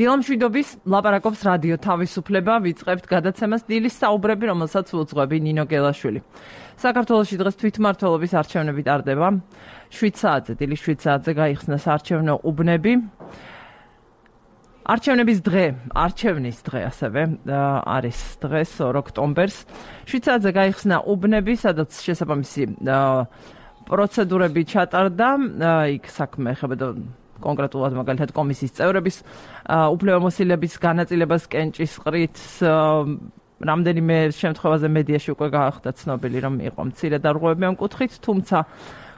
დილამშვიდობის ლაპარაკობს რადიო თავისუფლება, ვიწყებთ გადაცემას დილის საუბრები, რომელსაც უძღვები ნინო გელაშვილი. საქართველოში დღეს თვითმმართველობის არჩევნები ტარდება. 7 საათზე, დილის 7 საათზე გაიხსნა საარჩევნო უბნები. არჩევნის დღე ასევე არის დღეს 2 ოქტომბერს. 7 საათზე გაიხსნა უბნები, სადაც შესაბამისი პროცედურები ჩატარდა. იქ საქმე ეხებოდა კონკრეტულად მაგალითად კომისიის წევრების უფლებამოსილების განაწილებას კენჭისყრით. რამდენიმე შემთხვევაზე მედიაში უკვე გაახდა ცნობილი, რომ იყო მცირე დარღვევები ამ კუთხით, თუმცა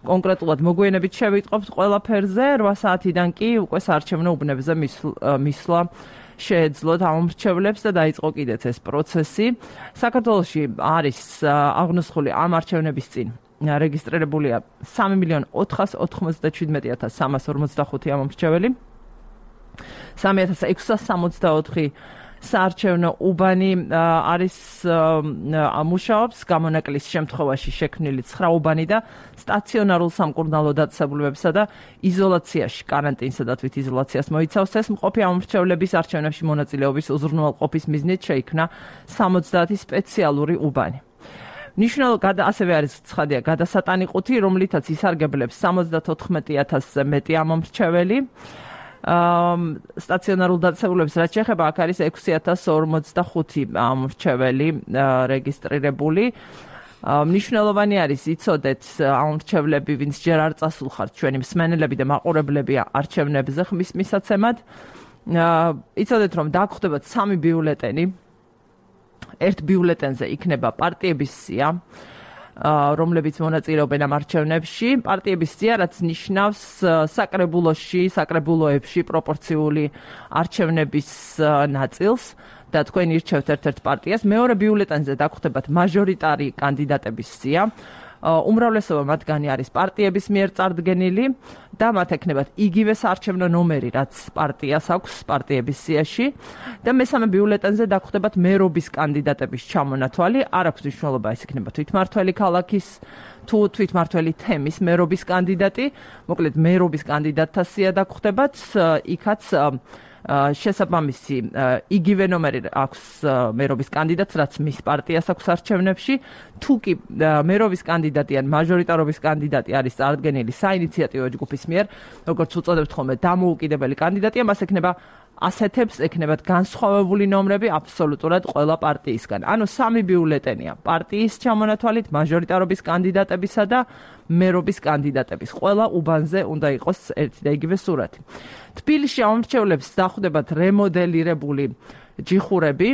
კონკრეტულად მოგვიანებით შევიტყობთ ყველაფერზე. 8 საათიდან კი უკვე საარჩევნო უბნებზე მისვლა შეეძლოთ ამომრჩევლებს და დაიწყო კიდეც ეს პროცესი. საქართველოში არის აღნოსხული ამ არჩევნების წინ რეგისტრირებულია 3.497.345 ამომრჩეველი. 3.664 საარჩევნო უბანი არის მუშაობს, გამონაკლის შემთხვევაში შექმნილი 9 უბანი და სტაციონარულ სამკურნალო დაწესებულებებსა და იზოლაციაში, კარანტინსა და თვითიზოლაციას მოიცავს. ეს მყოფი ამომრჩევლების არჩევნებში მონაწილეობის უზრუნველყოფის მიზნით შეიქმნა 70 სპეციალური უბანი. ასევე არის ცხადია გადასატანი ყუთი, რომლითაც ისარგებლებს 74,000-ზე მეტი ამომრჩეველი. სტაციონარულ დაწესებულებებს რაც შეეხება, აქ არის 6,045 ამომრჩეველი რეგისტრირებული. მნიშვნელოვანი არის იცოდეთ ამომრჩევლები, ვინც ჯერ არ წასულხართ, ჩვენი მსმენელები და მაყურებლები არჩევნებზე ხმის მისაცემად. იცოდეთ, რომ დაგხვდებათ 3 ბიულეტენი. ერთ ბიულეტენზე იქნება პარტიების სია, რომლებიც მონაწილეობენ ამ არჩევნებში. პარტიების სია, რაც ნიშნავს საკრებულოებში პროპორციული არჩევნების ნაწილს და თქვენ ირჩევთ ერთ-ერთ პარტიას. მეორე ბიულეტენზე დაგხვდებათ მაჟორიტარი კანდიდატების სია. უმრავლესობა მათგანი არის პარტიების მიერ წარდგენილი და მათ ექნებათ იგივე საარჩევნო ნომერი, რაც პარტიას აქვს პარტიების სიაში. და მესამე ბიულეტენზე დაგხვდებათ მერობის კანდიდატების ჩამონათვალი. არ აქვს მნიშვნელობა, ეს იქნება თვითმმართველი ქალაქის თუ თვითმმართველი თემის მერობის კანდიდატი. მოკლედ მერობის კანდიდატთა სია დაგხვდებათ, იქაც შესაბამისი იგივე ნომერი აქვს მერობის კანდიდატს, რაც მის პარტიას აქვს არჩევნებში. თუ კი მერობის კანდიდატი ან მაჟორიტარობის კანდიდატი არის წარდგენილი საინიციატივო ჯგუფის მიერ, როგორც უწოდებთ ხოლმე, დამოუკიდებელი კანდიდატია, მას ასეთებს ექნებათ განსხვავებული ნომრები აბსოლუტურად ყველა პარტიისგან. ანუ 3 ბიულეტენია პარტიის ჩამონათვალით, მაჟორიტარობის კანდიდატებისა და მერობის კანდიდატების. ყველა უბანზე უნდა იყოს ერთი და იგივე სურათი. თბილისში ამომრჩევლებს დახვდებათ რემოდელირებული ჯიხურები.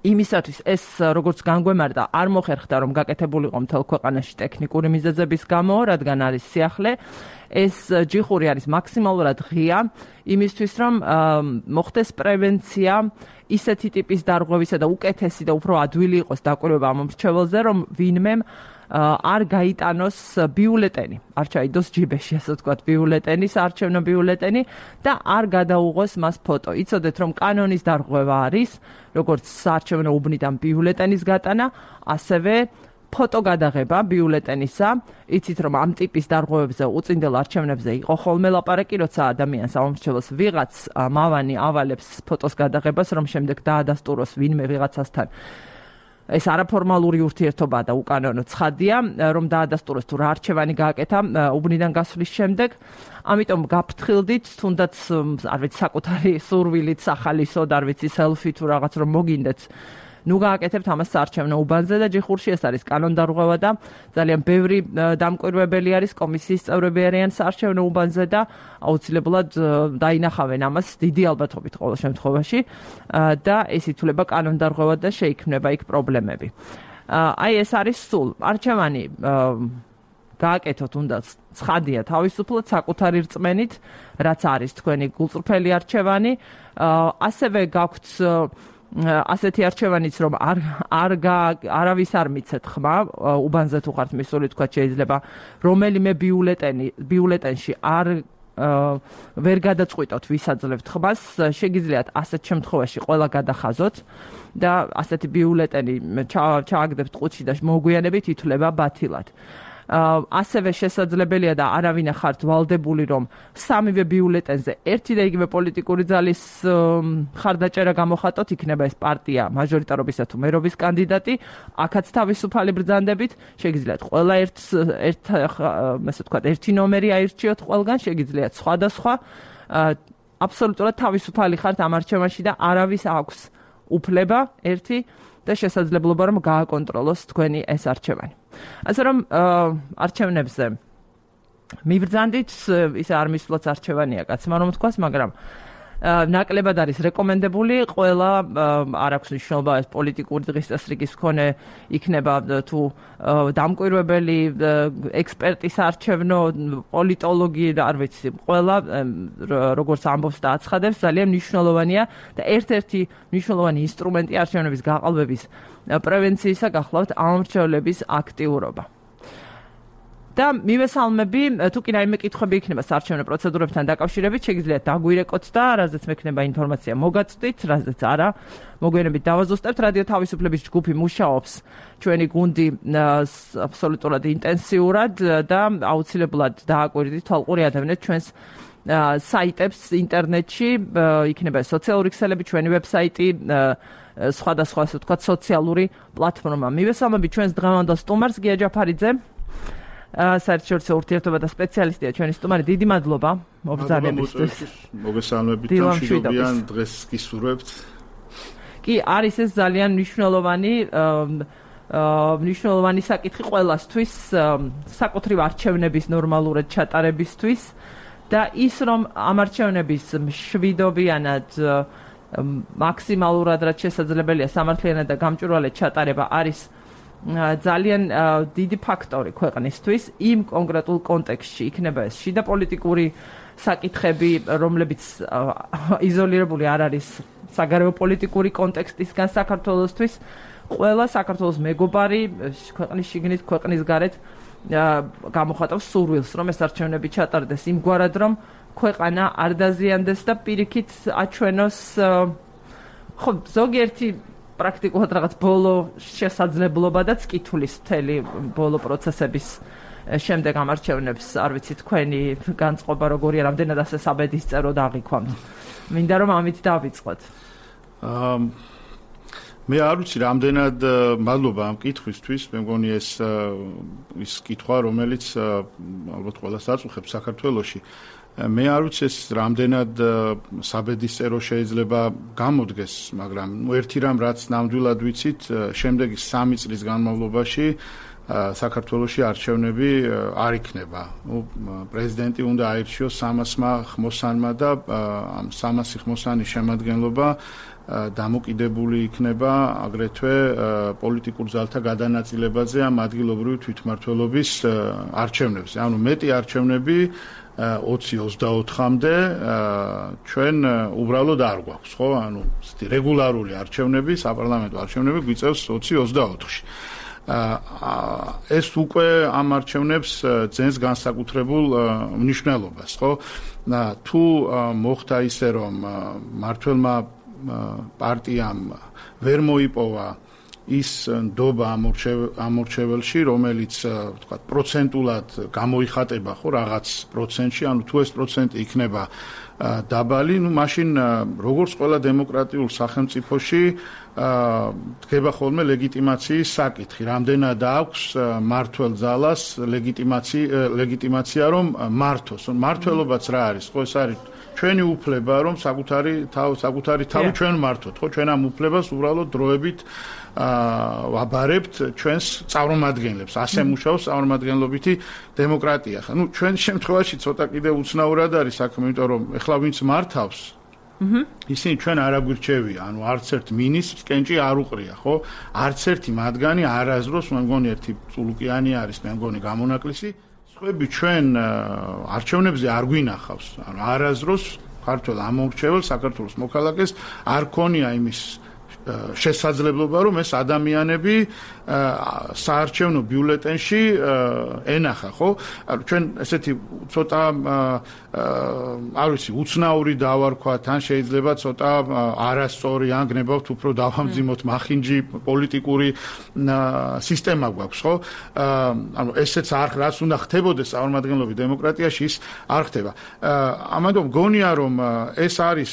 იმისათვის ეს როგორც განგვემართა არ მოხერხდა, რომ გაკეთებულიყო მთელ ქვეყანაში ტექნიკური მიზეზების გამო, რადგან არის სიახლე. ეს ჯიხური არის მაქსიმალურად ღია, იმისთვის რომ მოხდეს პრევენცია ისეთი ტიპის დარღვევისა და უკეთესი და უფრო ადვილი იყოს დაკვირვება ამომრჩეველზე, რომ ვინმე არ გაიტანოს ბიულეტენი, არ ჩაიდოს ჯიბეში, ასე ვთქვათ, ბიულეტენი, საარჩევნო ბიულეტენი და არ გადაუღოს მას ფოტო. იცოდეთ, რომ კანონის დარღვევა არის, როგორც საარჩევნო უბნიდან ბიულეტენის გატანა, ასევე ფოტო გადაღება ბიულეტენისა. იცით, რომ ამ ტიპის დარღვევებზე უწინდელ არჩევნებზე იყო ხოლმე ლაპარაკი, როცა ადამიანს ამომრჩეველს ვიღაც მავანი ავალებს ფოტოს გადაღებას, რომ შემდეგ დაადასტუროს ვინმე ვიღაცასთან. ეს არაფორმალური ურთიერთობა და უკანონო ცხადია, რომ დაადასტუროს თუ რა არჩევანი გააკეთა უბნიდან გასვლის შემდეგ. ამიტომ გაფრთხილდით, თუნდაც არ ვიცი საკუთარი სურვილით, სახალისოდ, არ ვიცი სელფი თუ რაღაც რომ მოგინდეთ. ნუ გააკეთებთ ამას საარჩევნო უბანზე და ჯიხურში ეს არის კანონდარღვევა და ძალიან ბევრი დამკვირვებელი არის, კომისიის წევრები არიან საარჩევნო უბანზე და აუცილებლად დაინახავენ ამას დიდი ალბათობით ყოველ შემთხვევაში და ეს ითვლება კანონდარღვევა და შეიქმნება იქ პრობლემები. აი ეს არის სულ არჩევანი გააკეთოთ უნდა ცხადია თავისუფლად საკუთარი რწმენით, რაც არის თქვენი გულწრფელი არჩევანი. ასევე გაქვთ ასეთი არჩევანიც, რომ არავის არ მიცეთ ხმა, უბანზე თუ ხართ მისული, თქვა შეიძლება რომელიმე ბიულეტენში არ ვერ გადაწყვიტოთ, ვისაძლევთ ხმას, შეგიძლიათ ასეთ შემთხვევაში ყველა გადახაზოთ და ასეთი ბიულეტენი ჩააგდებთ ყუთში და მოგვიანებით ითვლება ბათილად. ასევე შესაძლებელია და არავინ ახართ ვალდებული, რომ სამივე ბიულეტენზე ერთი და იგივე პოლიტიკური ძალის ხარდაჭერა გამოხატოთ, იქნება ეს პარტია მაჟორიტარობისა თუ მერობის კანდიდატი, აქაც თავისუფალი ბრძანდებით, შეგიძლიათ ყველა ერთი ნომერი აირჩიოთ ყველგან, შეგიძლიათ სხვადასხვა, აბსოლუტურად თავისუფალი ხართ ამ არჩევანში და არავის აქვს უფლება ერთი და შესაძლებლობა რომ გააკონტროლოს თქვენი ეს არჩევანი. ასე რომ არჩევნებზე მიბრძანდით, ისე არ მისვლაც არჩევანია კაცმა რომ თქვას, მაგრამ ნაკლებად არის რეკომენდებული, ყველა არ აქვს მნიშვნელობა ეს პოლიტიკური დღის წესრიგის მქონე იქნება თუ დამკვირვებელი ექსპერტის არჩევნო, პოლიტოლოგი, არ ვიცი, ყველა როგორც ამბობს და აცხადებს, ძალიან მნიშვნელოვანია და ერთ-ერთი მნიშვნელოვანი ინსტრუმენტი არჩევნების გაყალბების პრევენციისა გახლავთ ამომრჩევლების აქტიურობა. და მივესალმები, თუ კი რაიმე კითხვები იქნება საარჩევნო პროცედურებთან დაკავშირებით, შეგიძლიათ დაგვირეკოთ და რაზეც მექნება ინფორმაცია მოგაწვდით, რაზეც არა, მოგვიანებით დავაზუსტებთ. რადიო თავისუფლების ჯგუფი მუშაობს, ჩვენი გუნდი აბსოლუტურად ინტენსიურად და აუცილებლად დააკვირდით თვალყური ადევნეთ ჩვენს საიტებს ინტერნეტში, იქნება სოციალური ქსელები, ჩვენი ვებსაიტი, სხვადასხვა ასე ვთქვათ სოციალური პლატფორმა. მივესალმები ჩვენს დღევანდელ სტუმარს გია ჯაფარიძე. საერთაშორისო ურთიერთობა და სპეციალისტია ჩვენი სტუმარი. დიდი მადლობა მობრძანებისთვის. მოგესალმებით და მშვიდობიან დღეს გისურვებთ. კი, არის ეს ძალიან მნიშვნელოვანი საკითხი ყველასთვის, საკუთრივ არჩევნების ნორმალურად ჩატარებისთვის და ის რომ ამ არჩევნების მშვიდობიანად მაქსიმალურად რაც შესაძლებელია სამართლიანად და გამჭვირვალედ ჩატარება არის ძალიან დიდი ფაქტორი ქვეყნისთვის იმ კონკრეტულ კონტექსტში იქნება ეს შიდა პოლიტიკური საკითხები, რომლებიც იზოლირებული არ არის საგარეო პოლიტიკური კონტექსტისგან საქართველოსთვის, ყველა საქართველოს მეგობარი ქვეყნის შიგნით, ქვეყნის გარეთ გამოხატავს სურვილს, რომ ეს არჩევნები ჩატარდეს იმგვარად, რომ ქვეყანა არ დაზიანდეს და პირიქით აჩვენოს ხო ზოგიერთი პრაქტიკულად რაღაც ბოლო შესაძლებლობადაც კითხulis მთელი ბოლო პროცესების შემდეგ ამ არჩევნებს არ ვიცი თქვენი განწყობა როგორია, რამდენად ასე საბედისწერო დაღიქვამთ. მინდა რომ ამით დავიწყოთ. მე არ ვიცი რამდენად მადლობა ამ კითხვისთვის, მე მგონი ეს კითხვა, რომელიც ალბათ ყველას აწუხებს საქართველოში. მე არ ვიცი ეს რამდენად საბედისწერო შეიძლება გამოდგეს, მაგრამ ერთი რამ რაც ნამდვილად ვიცით, შემდეგი 3 წლის განმავლობაში საქართველოში არჩევნები არ იქნება. პრეზიდენტი უნდა აირჩიოს 300-მა ხმოსანმა და ამ 300 ხმოსანის შემადგენლობა დამოკიდებული იქნება აგრეთვე პოლიტიკურ ძალთა გადანაწილებაზე ამ ადგილობრივი თვითმმართველობის არჩევნებზე. ანუ მეტი არჩევნები 20-24-მდე ჩვენ უბრალოდ არ გვაქვს, ხო? ანუ რეგულარული არჩევნები, საპარლამენტო არჩევნები გვიწევს 20-24-ში. ეს უკვე ამ არჩევნებს ძენს განსაკუთრებულ მნიშვნელობას, ხო? თუ მოხდა ისე, რომ მმართველმა პარტიამ ვერ მოიპოვა ის ნდობა ამორჩეველში, რომელიც ვთქვათ პროცენტულად გამოიხატება ხო რაღაც პროცენტში, ანუ თუ ეს პროცენტი იქნება დაბალი, ნუ მაშინ როგორც ყველა დემოკრატიულ სახელმწიფოში დგება ხოლმე ლეგიტიმაციის საკითხი, რამდენად აქვს მმართველ ძალას ლეგიტიმაცია რომ მართოს. მმართველობაც რა არის, ხო ეს არის ჩვენი უფლება რომ საკუთარი თავი ჩვენ მართოთ, ხო ჩვენ ამ უფლებას უბრალოდ დროებით ვაბარებთ ჩვენს წარმომადგენლებს. ასე მუშაობს წარმომადგენლობითი დემოკრატია. ნუ ჩვენ შემთხვევაში ცოტა კიდე უცნაურად არის საქმე, იმიტომ რომ ეხლა ვინც მართავს ისინი ჩვენ არ აგვირჩევია, ანუ არც ერთ მინისტრს კენჭი არ უყრია, ხო? არც ერთი მათგანი არასდროს, მე მგონი ერთი წულუკიანი არის, მე მგონი გამონაკლისი, სხვები ჩვენ არჩევნებზე არ გვინახავს. ანუ არასდროს ქართველ ამომრჩეველს, საქართველოს მოქალაქეს არ ქონია იმის შესაძლებლობა რომ ეს ადამიანები საარჩევნო ბიულეტენში ენახა, ხო? ჩვენ ესეთი ცოტა არ ვიცი, უცნაური დავარქვათ, ან შეიძლება ცოტა არასწორი, ან გნებავთ უფრო დავამძიმოთ მახინჯი პოლიტიკური სისტემა გვაქვს, ხო? ანუ ესეც არ რაც უნდა ხდებოდეს წარმომადგენლობის დემოკრატიაში, ის არ ხდება. ამიტომ გონია რომ ეს არის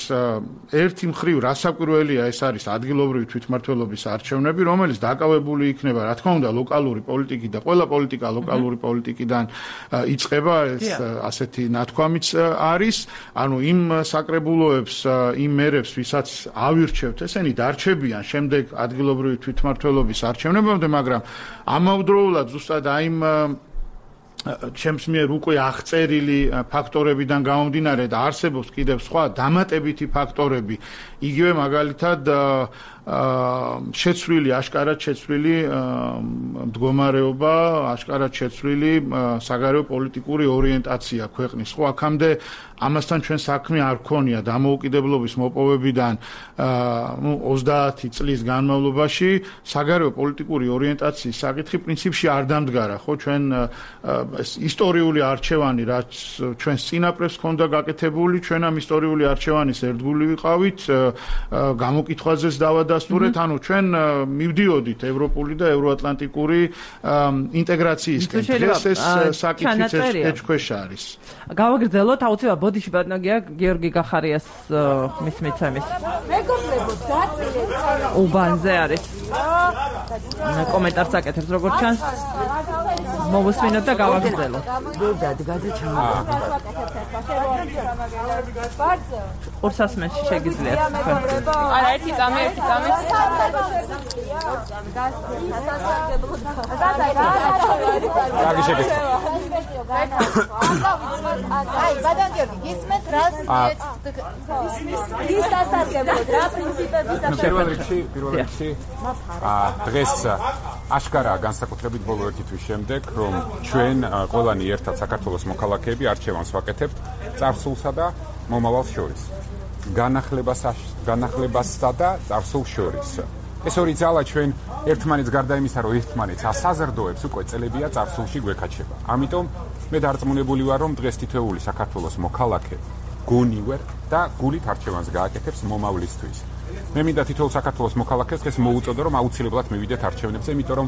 ერთი მხრივ რასაკვირველია, ეს არის ადგილობრივი თვითმმართველობის არჩევნები, რომელიც დაკავებული იქნება, რა თქმა უნდა, ლოკალური პოლიტიკით და ყველა პოლიტიკა ლოკალური პოლიტიკიდან იწყება, ეს ასეთი ნათქვამიც არის, ანუ იმ საკრებულოებს, იმ მერებს, ვისაც ავირჩევთ, ესენი დარჩებიან შემდეგ ადგილობრივი თვითმმართველობის არჩევნებამდე, მაგრამ ამავდროულად ზუსტად აიმ ჩემს მიერ უკვე აღწერილი ფაქტორებიდან გამომდინარე და არსებობს კიდევ სხვა დამატებითი ფაქტორები, იგივე მაგალითად შეცვლილი, აშკარად შეცვლილი მდგომარეობა, აშკარად შეცვლილი საგარეო პოლიტიკური ორიენტაცია ქვეყნის. ხო, აქამდე ამასთან ჩვენ საქმე არ გქონია დამოუკიდებლობის მოპოვებიდან 30 წლის განმავლობაში საგარეო პოლიტიკური ორიენტაციის საკითხი პრინციპში არ დამდგარა, ხო, ჩვენ ისტორიული არჩევანი, რაც ჩვენს წინაპრებს ჰქონდა გაკეთებული, ჩვენ ამ ისტორიული არჩევანის ერთგული ვიყავით, გამოკითხვაზეც დავადასტურეთ, ანუ ჩვენ მივდიოდით ევროპული და ევროატლანტიკური ინტეგრაციისკენ. დღეს ეს საკითხიც ეჭქვეშ არის. გავაგრძელოთ აუცილებლად ბოდიში ბატონია გიორგი გახარიას ხმის მიცემის. მეგობრებო, დაწილეთ. უბანზე არის. კომენტარს აკეთებს როგორც ჩანს. მოვუსმინოთ და გავაგრძელოთ. დადგადა ჩამოვა. ყურსასმენში შეგიძლიათ. არა, ერთი წამი. კარგი შეგეძლო. აი, ბატონ გიორგი, გისმენთ რას ის ასარგებლოთ, რა პრინციპების პირველ რიგში დღეს აშკარაა განსაკუთრებით ბოლო ერთი თვის შემდეგ, რომ ჩვენ ყველანი ერთად საქართველოს მოქალაქეები არჩევანს ვაკეთებთ წარსულსა და მომავალს შორის. განახლებასსა და წარსულს შორის. ეს ორი ძალა ჩვენ ერთმანეთს გარდა იმისა, რომ ერთმანეთს ასაზრდოებს, უკვე წელებია წარსულში გვეკაჩება. ამიტომ მე დარწმუნებული ვარ, რომ დღეს თითოეული საქართველოს მოქალაქე გონი ვარ და გულით არჩევანს გააკეთებს მომავლისთვის. მე მინდა თითოეულ საქართველოს მოქალაქეს დღეს მოუწოდო, რომ აუცილებლად მივიდეთ არჩევნებზე, იმიტომ რომ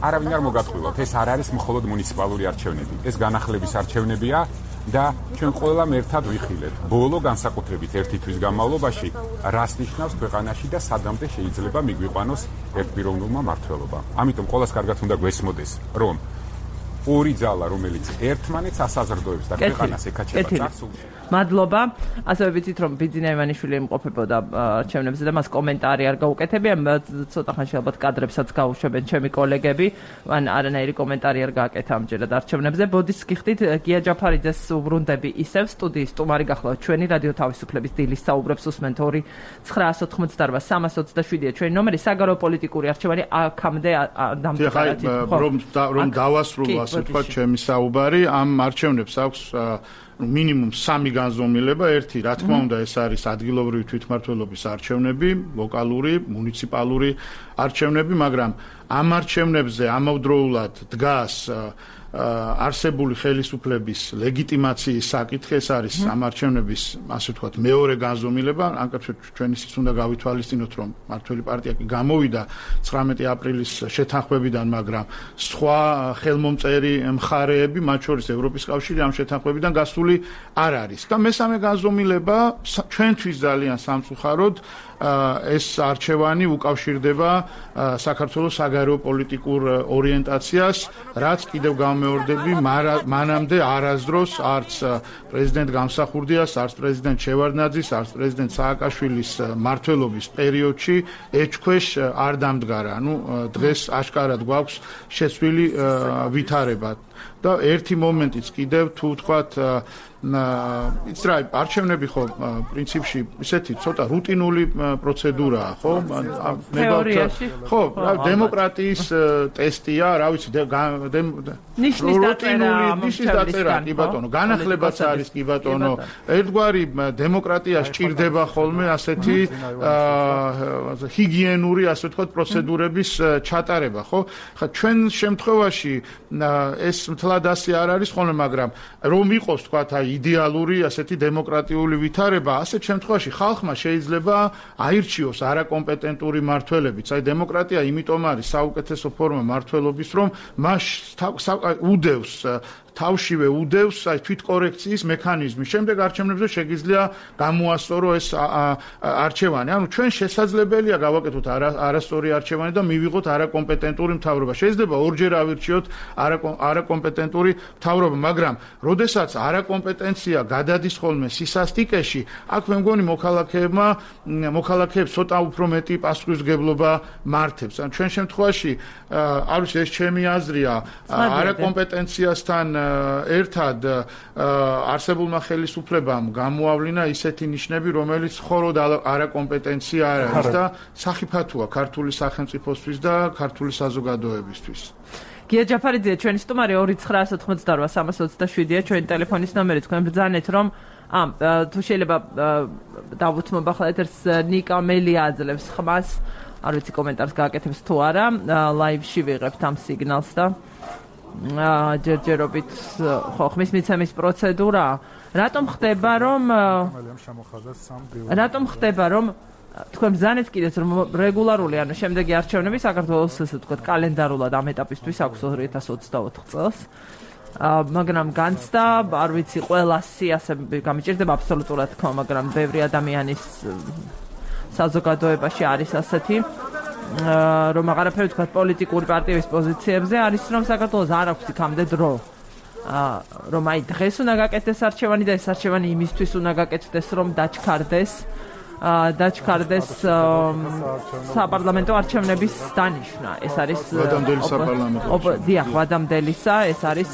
არავინ არ მოგატყუილოთ, ეს არ არის მხოლოდ მუნიციპალური არჩევნები, ეს განახლების არჩევნებია და ჩვენ ყველამ ერთად ვიხილეთ. ბოლო განსაკუთრებით ერთი თვის განმავლობაში რას ნიშნავს ქვეყანაში და სადამდე შეიძლება მიგვიყვანოს ერთპიროვნულმა მმართველობამ. ამიტომ ყველას კარგად უნდა გვესმოდეს, რომ ორი ძალა, რომელიც ერთმანეთს ასაზრდოებს და ქვეყანას ეკაჩება წარსულში. მადლობა. ასევე ვიცით, რომ ბიძინა ივანიშვილი იმყოფებოდა არჩევნებზე და მას კომენტარი არ გაუკეთებია. ცოტა ხანში ალბათ კადრებსაც გაუშვებენ ჩემი კოლეგები, ან არანაირი კომენტარი არ გააკეთა ამჯერად არჩევნებზე. ბოდის გიხდით, გია ჯაფარიძეს უბრუნდები ისევ სტუდიის სტუმარი გახლავთ ჩვენი რადიო თავისუფლების დილის საუბრებს უსმენთ 2-988-327-ია ჩვენი ნომერი. საგარეო პოლიტიკური არჩევანი აქამდე დამდგარად. რომ დავასრულო ასე ვთქვათ ჩემი საუბარი, ამ არჩევნებს აქვს მინიმუმ 3 განზომილება. ერთი, რა თქმა უნდა, ეს არის ადგილობრივი თვითმმართველობის არჩევნები, ლოკალური, მუნიციპალური არჩევნები, მაგრამ ამ არჩევნებზე ამავდროულად დგას არსებული ხელისუფლების ლეგიტიმაციის საკითხი, ეს არის ამ არჩევნების, ასე ვთქვათ, მეორე განზომილება. ანკაცეთ ჩვენ ისიც უნდა გავითვალისწინოთ, რომ მმართველი პარტია კი გამოვიდა 19 აპრილის შეთანხმებიდან, მაგრამ სხვა ხელმომწერი მხარეები, მათ შორის ევროპის კავშირი ამ შეთანხმებიდან გასული არ არის. და მესამე განზომილება ჩვენთვის ძალიან სამწუხაროდ ეს არჩევანი უკავშირდება საქართველოს საგარეო პოლიტიკურ ორიენტაციას, რაც კიდევ გამეორდები მანამდე არასდროს არც პრეზიდენტ გამსახურდიას, არც პრეზიდენტ შევარდნაძის, არც პრეზიდენტ სააკაშვილის მმართველობის პერიოდში ეჭქვეშ არ დამდგარა. ანუ დღეს აშკარად გვაქვს შეცვლილი ვითარება. და ერთი მომენტიც კიდევ თუ ვთქვათ იცი რა, არჩევნები ხო პრინციპში ისეთი ცოტა რუტინული პროცედურაა, ხო? თეორიაში ხო, დემოკრატიის ტესტია, რა ვიცი, ნიშნის დაწერა, კი ბატონო, განახლებაც არის, კი ბატონო. ერთგვარი დემოკრატია სჭირდება ხოლმე ასეთი ჰიგიენური, ასე ვთქვათ, პროცედურების ჩატარება, ხო? ხა ჩვენ შემთხვევაში ეს მთლად ასე არ არის ხოლმე, მაგრამ რომ იყოს თქვათ აი იდეალური ასეთი დემოკრატიული ვითარება, ასეთ შემთხვევაში ხალხმა შეიძლება აირჩიოს არაკომპეტენტური მმართველებიც. აი დემოკრატია იმიტომ არის საუკეთესო ფორმა მმართველობის, რომ მას უდევს თავშივე უდევს აი თვითკორექციის მექანიზმი. შემდეგ არჩევნებზე შეგიძლია გამოასწორო ეს არჩევანი. ანუ ჩვენ შესაძლებელია გავაკეთოთ არასწორი არჩევანი და მივიღოთ არაკომპეტენტური მთავრობა. შეიძლება ორჯერ ავირჩიოთ არაკომპეტენტური მთავრობა, მაგრამ როდესაც არაკომპეტენცია გადადის ხოლმე სისასტიკეში, აქ მე მგონი მოქალაქეებს ცოტა უფრო მეტი პასუხისმგებლობა მართებს. ან ჩვენ შემთხვევაში არ ვიცი, ეს ჩემი აზრია, არაკომპეტენციასთან ერთად არსებულმა ხელისუფლებამ გამოავლინა ისეთი ნიშნები, რომელიც ხოროდ არაკომპეტენცია არ არის და სახიფათოა ქართული სახელმწიფოსთვის და ქართული საზოგადოებისთვის. გია ჯაფარიძე, ჩვენი სტუმარი 2988327-ია ჩვენი ტელეფონის ნომერი. თქვენ ბრძანეთ, რომ თუ შეიძლება დავუთმობ ახლა ეთერს ნიკა მელი აძლევს ხმას, არ ვიცი კომენტარს გააკეთებს თუ არა, ლაივში ვიღებთ ამ სიგნალს და ჯერჯერობით ხო ხმის მიცემის პროცედურა რატომ ხდება რომ თქვენ ბრძანეთ კიდეც რომ რეგულარული ანუ შემდეგი არჩევნები საქართველოს ესე ვთქვათ კალენდარულად ამ ეტაპისთვის აქვს 2024 წელს მაგრამ განცდა არ ვიცი ყველასი ასე გამიჭირდება აბსოლუტურად თქო მაგრამ ბევრი ადამიანის საზოგადოებაში არის ასეთი რომ აღარაფერი თქვა პოლიტიკური პარტიების პოზიციებზე არის რომ საქართველოს არ აქვს იქამდე დრო რომ აი დღეს უნდა გაკეთდეს არჩევანი და ეს არჩევანი იმისთვის უნდა გაკეთდეს რომ დაჩქარდეს საპარლამენტო არჩევნების დანიშვნა ეს არის ვადამდელი საპარლამენტო დიახ ვადამდელისა ეს არის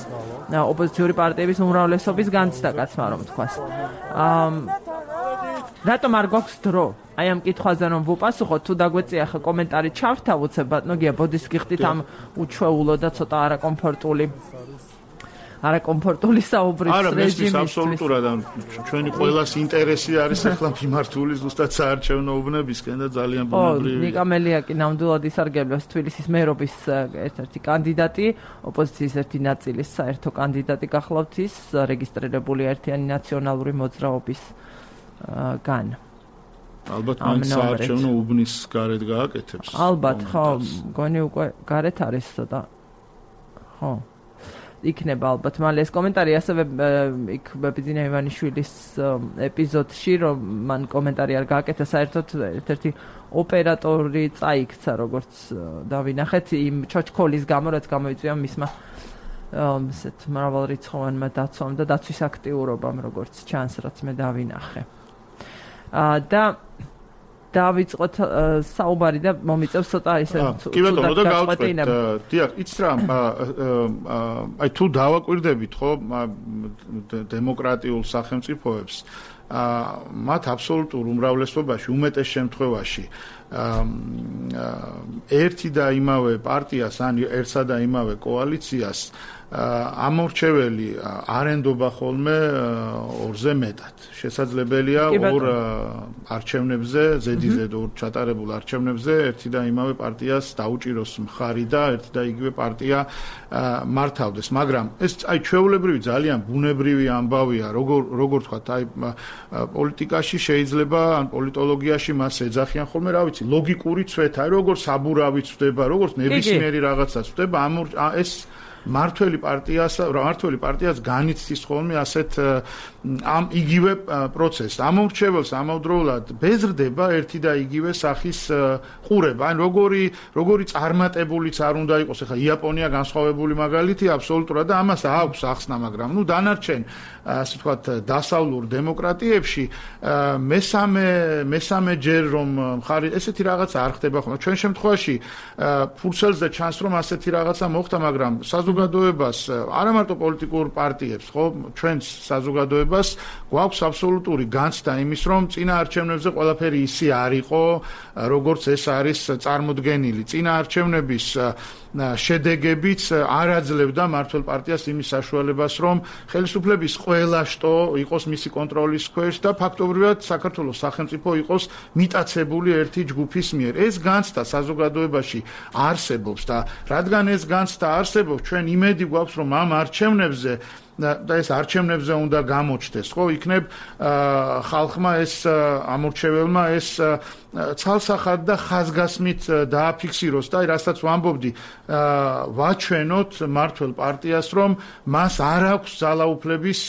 ოპოზიციური პარტიების უმრავლესობის განცდა კაცმა რომ თქვას რატომ არ გვაქვს დრო? აი ამ კითხვაზე რომ ვუპასუხოთ, თუ დაგვეწია ხა კომენტარი ჩავთავოცებ, ბატონო გია, ბოდის გიხდით ამ უჩვეულო და ცოტა არაკომფორტული საუბრის რეჟიმისთვის. არა, მესმის აბსოლუტურად, ჩვენი ყველას ინტერესი არის ახლა მიმართული ზუსტად საარჩევნო უბნებისკენ და ძალიან ბუნებრივია. ნიკა მელია კი ნამდვილად ისარგებლოს თბილისის მერობის ერთ-ერთი კანდიდატი, ოპოზიციის ერთი ნაწილის საერთო კანდიდატი გახლავთ ის, რეგისტრირებული ერთიანი ნაციონალური მოძრაობის გან. ალბათ მან საარჩევნო უბნის გარეთ გააკეთებს. ალბათ, ხო, გონი უკვე გარეთ არის ცოტა. ხო. იქნება ალბათ მალე ეს კომენტარი ასევე იქ ბებიძინა ივანიშვილის ეპიზოდში რომ მან კომენტარი არ გააკეთა საერთოდ ერთ-ერთი ოპერატორი წაიქცა როგორც დავინახეთ იმ ჩოჩქოლის გამო რაც გამოიწვია მისმა ესეთ მრავალრიცხოვანმა დაცვამ და დაცვის აქტიურობამ როგორც ჩანს რაც მე დავინახე. და დავიწყოთ საუბარი და მომიწევს ცოტა ისე კი ბატონო და გავწყვეტ დიახ იცი რა აი თუ დავაკვირდებით ხო დემოკრატიულ სახელმწიფოებს მათ აბსოლუტურ უმრავლესობაში უმეტეს შემთხვევაში ერთი და იმავე პარტიას ან ერთსა და იმავე კოალიციას ამორჩეველი არენდობა ხოლმე ორზე მეტად. შესაძლებელია ორ არჩევნებზე, ზედიზედ ორ ჩატარებულ არჩევნებზე ერთი და იმავე პარტიას დაუჭიროს მხარი და ერთი და იგივე პარტია მართავდეს. მაგრამ ეს აი ჩვეულებრივი ძალიან ბუნებრივი ამბავია, როგორ თქვათ, აი პოლიტიკაში შეიძლება ან პოლიტოლოგიაში მას ეძახიან ხოლმე, რა ვიცი, ლოგიკური ცვეთა, როგორ საბურავი ცვდება, როგორ ნებისმიერი რაღაცა ცვდება, ეს მართველი პარტიას განიცდის ხოლმე ასეთ ამ იგივე პროცესს. ამორჩეველს ამავდროულად ბეზრდება ერთი და იგივე სახის ყურება. ან როგორი წარმატებულიც არ უნდა იყოს, ახლა იაპონია განსხვავებული მაგალითია აბსოლუტურად და ამას აქვს ახსნა, მაგრამ დანარჩენ ასე ვთქვათ დასავლურ დემოკრატიებში მესამე ჯერ რომ მხარი ესეთი რაღაცა არ ხდება ხოლმე. ჩვენ შემთხვევაში ფურცელზე ჩანს რომ ასეთი რაღაცა მოხდა, მაგრამ საზოგადოებრივ საზოგადოებას, არა მარტო პოლიტიკურ პარტიებს, ხო, ჩვენს საზოგადოებას გვაქვს აბსოლუტური განცდა იმის, რომ წინა არჩევნებზე ყველაფერი ისე არ იყო, როგორც ეს არის წარმოდგენილი. წინა არჩევნების შედეგებიც არ აძლევდა მმართველ პარტიას იმის საშუალებას, რომ ხელისუფლების ყველა შტო იყოს მისი კონტროლის ქვეშ და ფაქტობრივად საქართველოს სახელმწიფო იყოს მიტაცებული ერთი ჯგუფის მიერ. ეს განცდა საზოგადოებაში არსებობს და რადგან ეს განცდა არსებობს, ჩვენ იმედი გვაქვს, რომ ამ არჩევნებზე და ეს არჩევნებზე უნდა გამოჩნდეს, ხო, იქნებ ხალხმა ეს ამორჩეველმა ეს ცალსახად და ხაზგასმით დააფიქსიროს და რასაც ვამბობდი, ვაჩვენოთ მმართველ პარტიას, რომ მას არ აქვს ძალაუფლების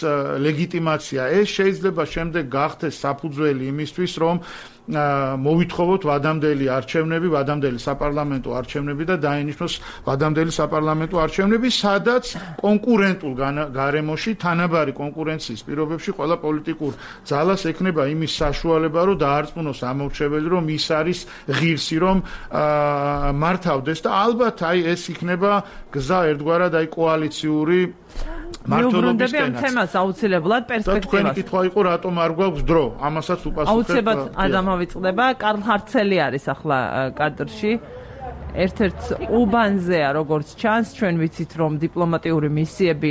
ლეგიტიმაცია. ეს შეიძლება შემდეგ გახდეს საფუძველი იმისთვის, რომ მოვითხოვოთ ვადამდელი არჩევნები, ვადამდელი საპარლამენტო არჩევნები და დაინიშნოს ვადამდელი საპარლამენტო არჩევნები, სადაც კონკურენტულ გარემოში, თანაბარი კონკურენციის პირობებში ყველა პოლიტიკურ ძალას ექნება იმის საშუალება, რომ დაარწმუნოს ამორჩეველი, რომ ის არის ღირსი, რომ მართავდეს და ალბათ აი ეს იქნება გზა ერთგვარად აი კოალიციური მართლობის ამ თემას აუცილებლად პერსპექტივას. და თქვენი კითხვა იყო, რატომ არ გვაქვს დრო? ამასაც უპასუხებ. აუცილებლად ადამავიწყდება. კარლ ჰარცელი არის ახლა კადრში. ერთ-ერთ უბანზეა, როგორც ჩანს, ჩვენ ვიცით, რომ დიპლომატიური მისიები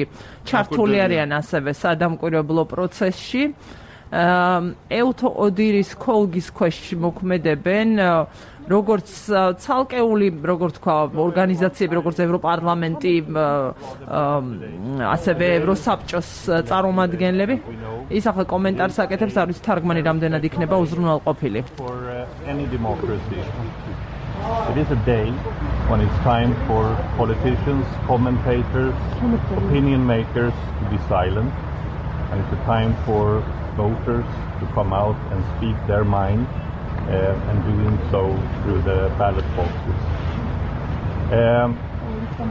ჩართული არიან ასევე სადამკვირვებლო პროცესში. ეუთო ოდირის ქოლგის ქვეშ მოქმედებენ როგორც ცალკეული, როგორც თქვა, ორგანიზაციები, როგორც ევროპარლამენტი, ასევე ევროსაბჭოს წარმომადგენლები. ის ახლა კომენტარს აკეთებს, არ ვიცი თარგმანი რამდენად იქნება უზრუნველყოფილი. It is a day when it's time for politicians, commentators, opinion makers to be silent, and it's a time for voters to come out and speak their mind, and doing so through the ballot boxes.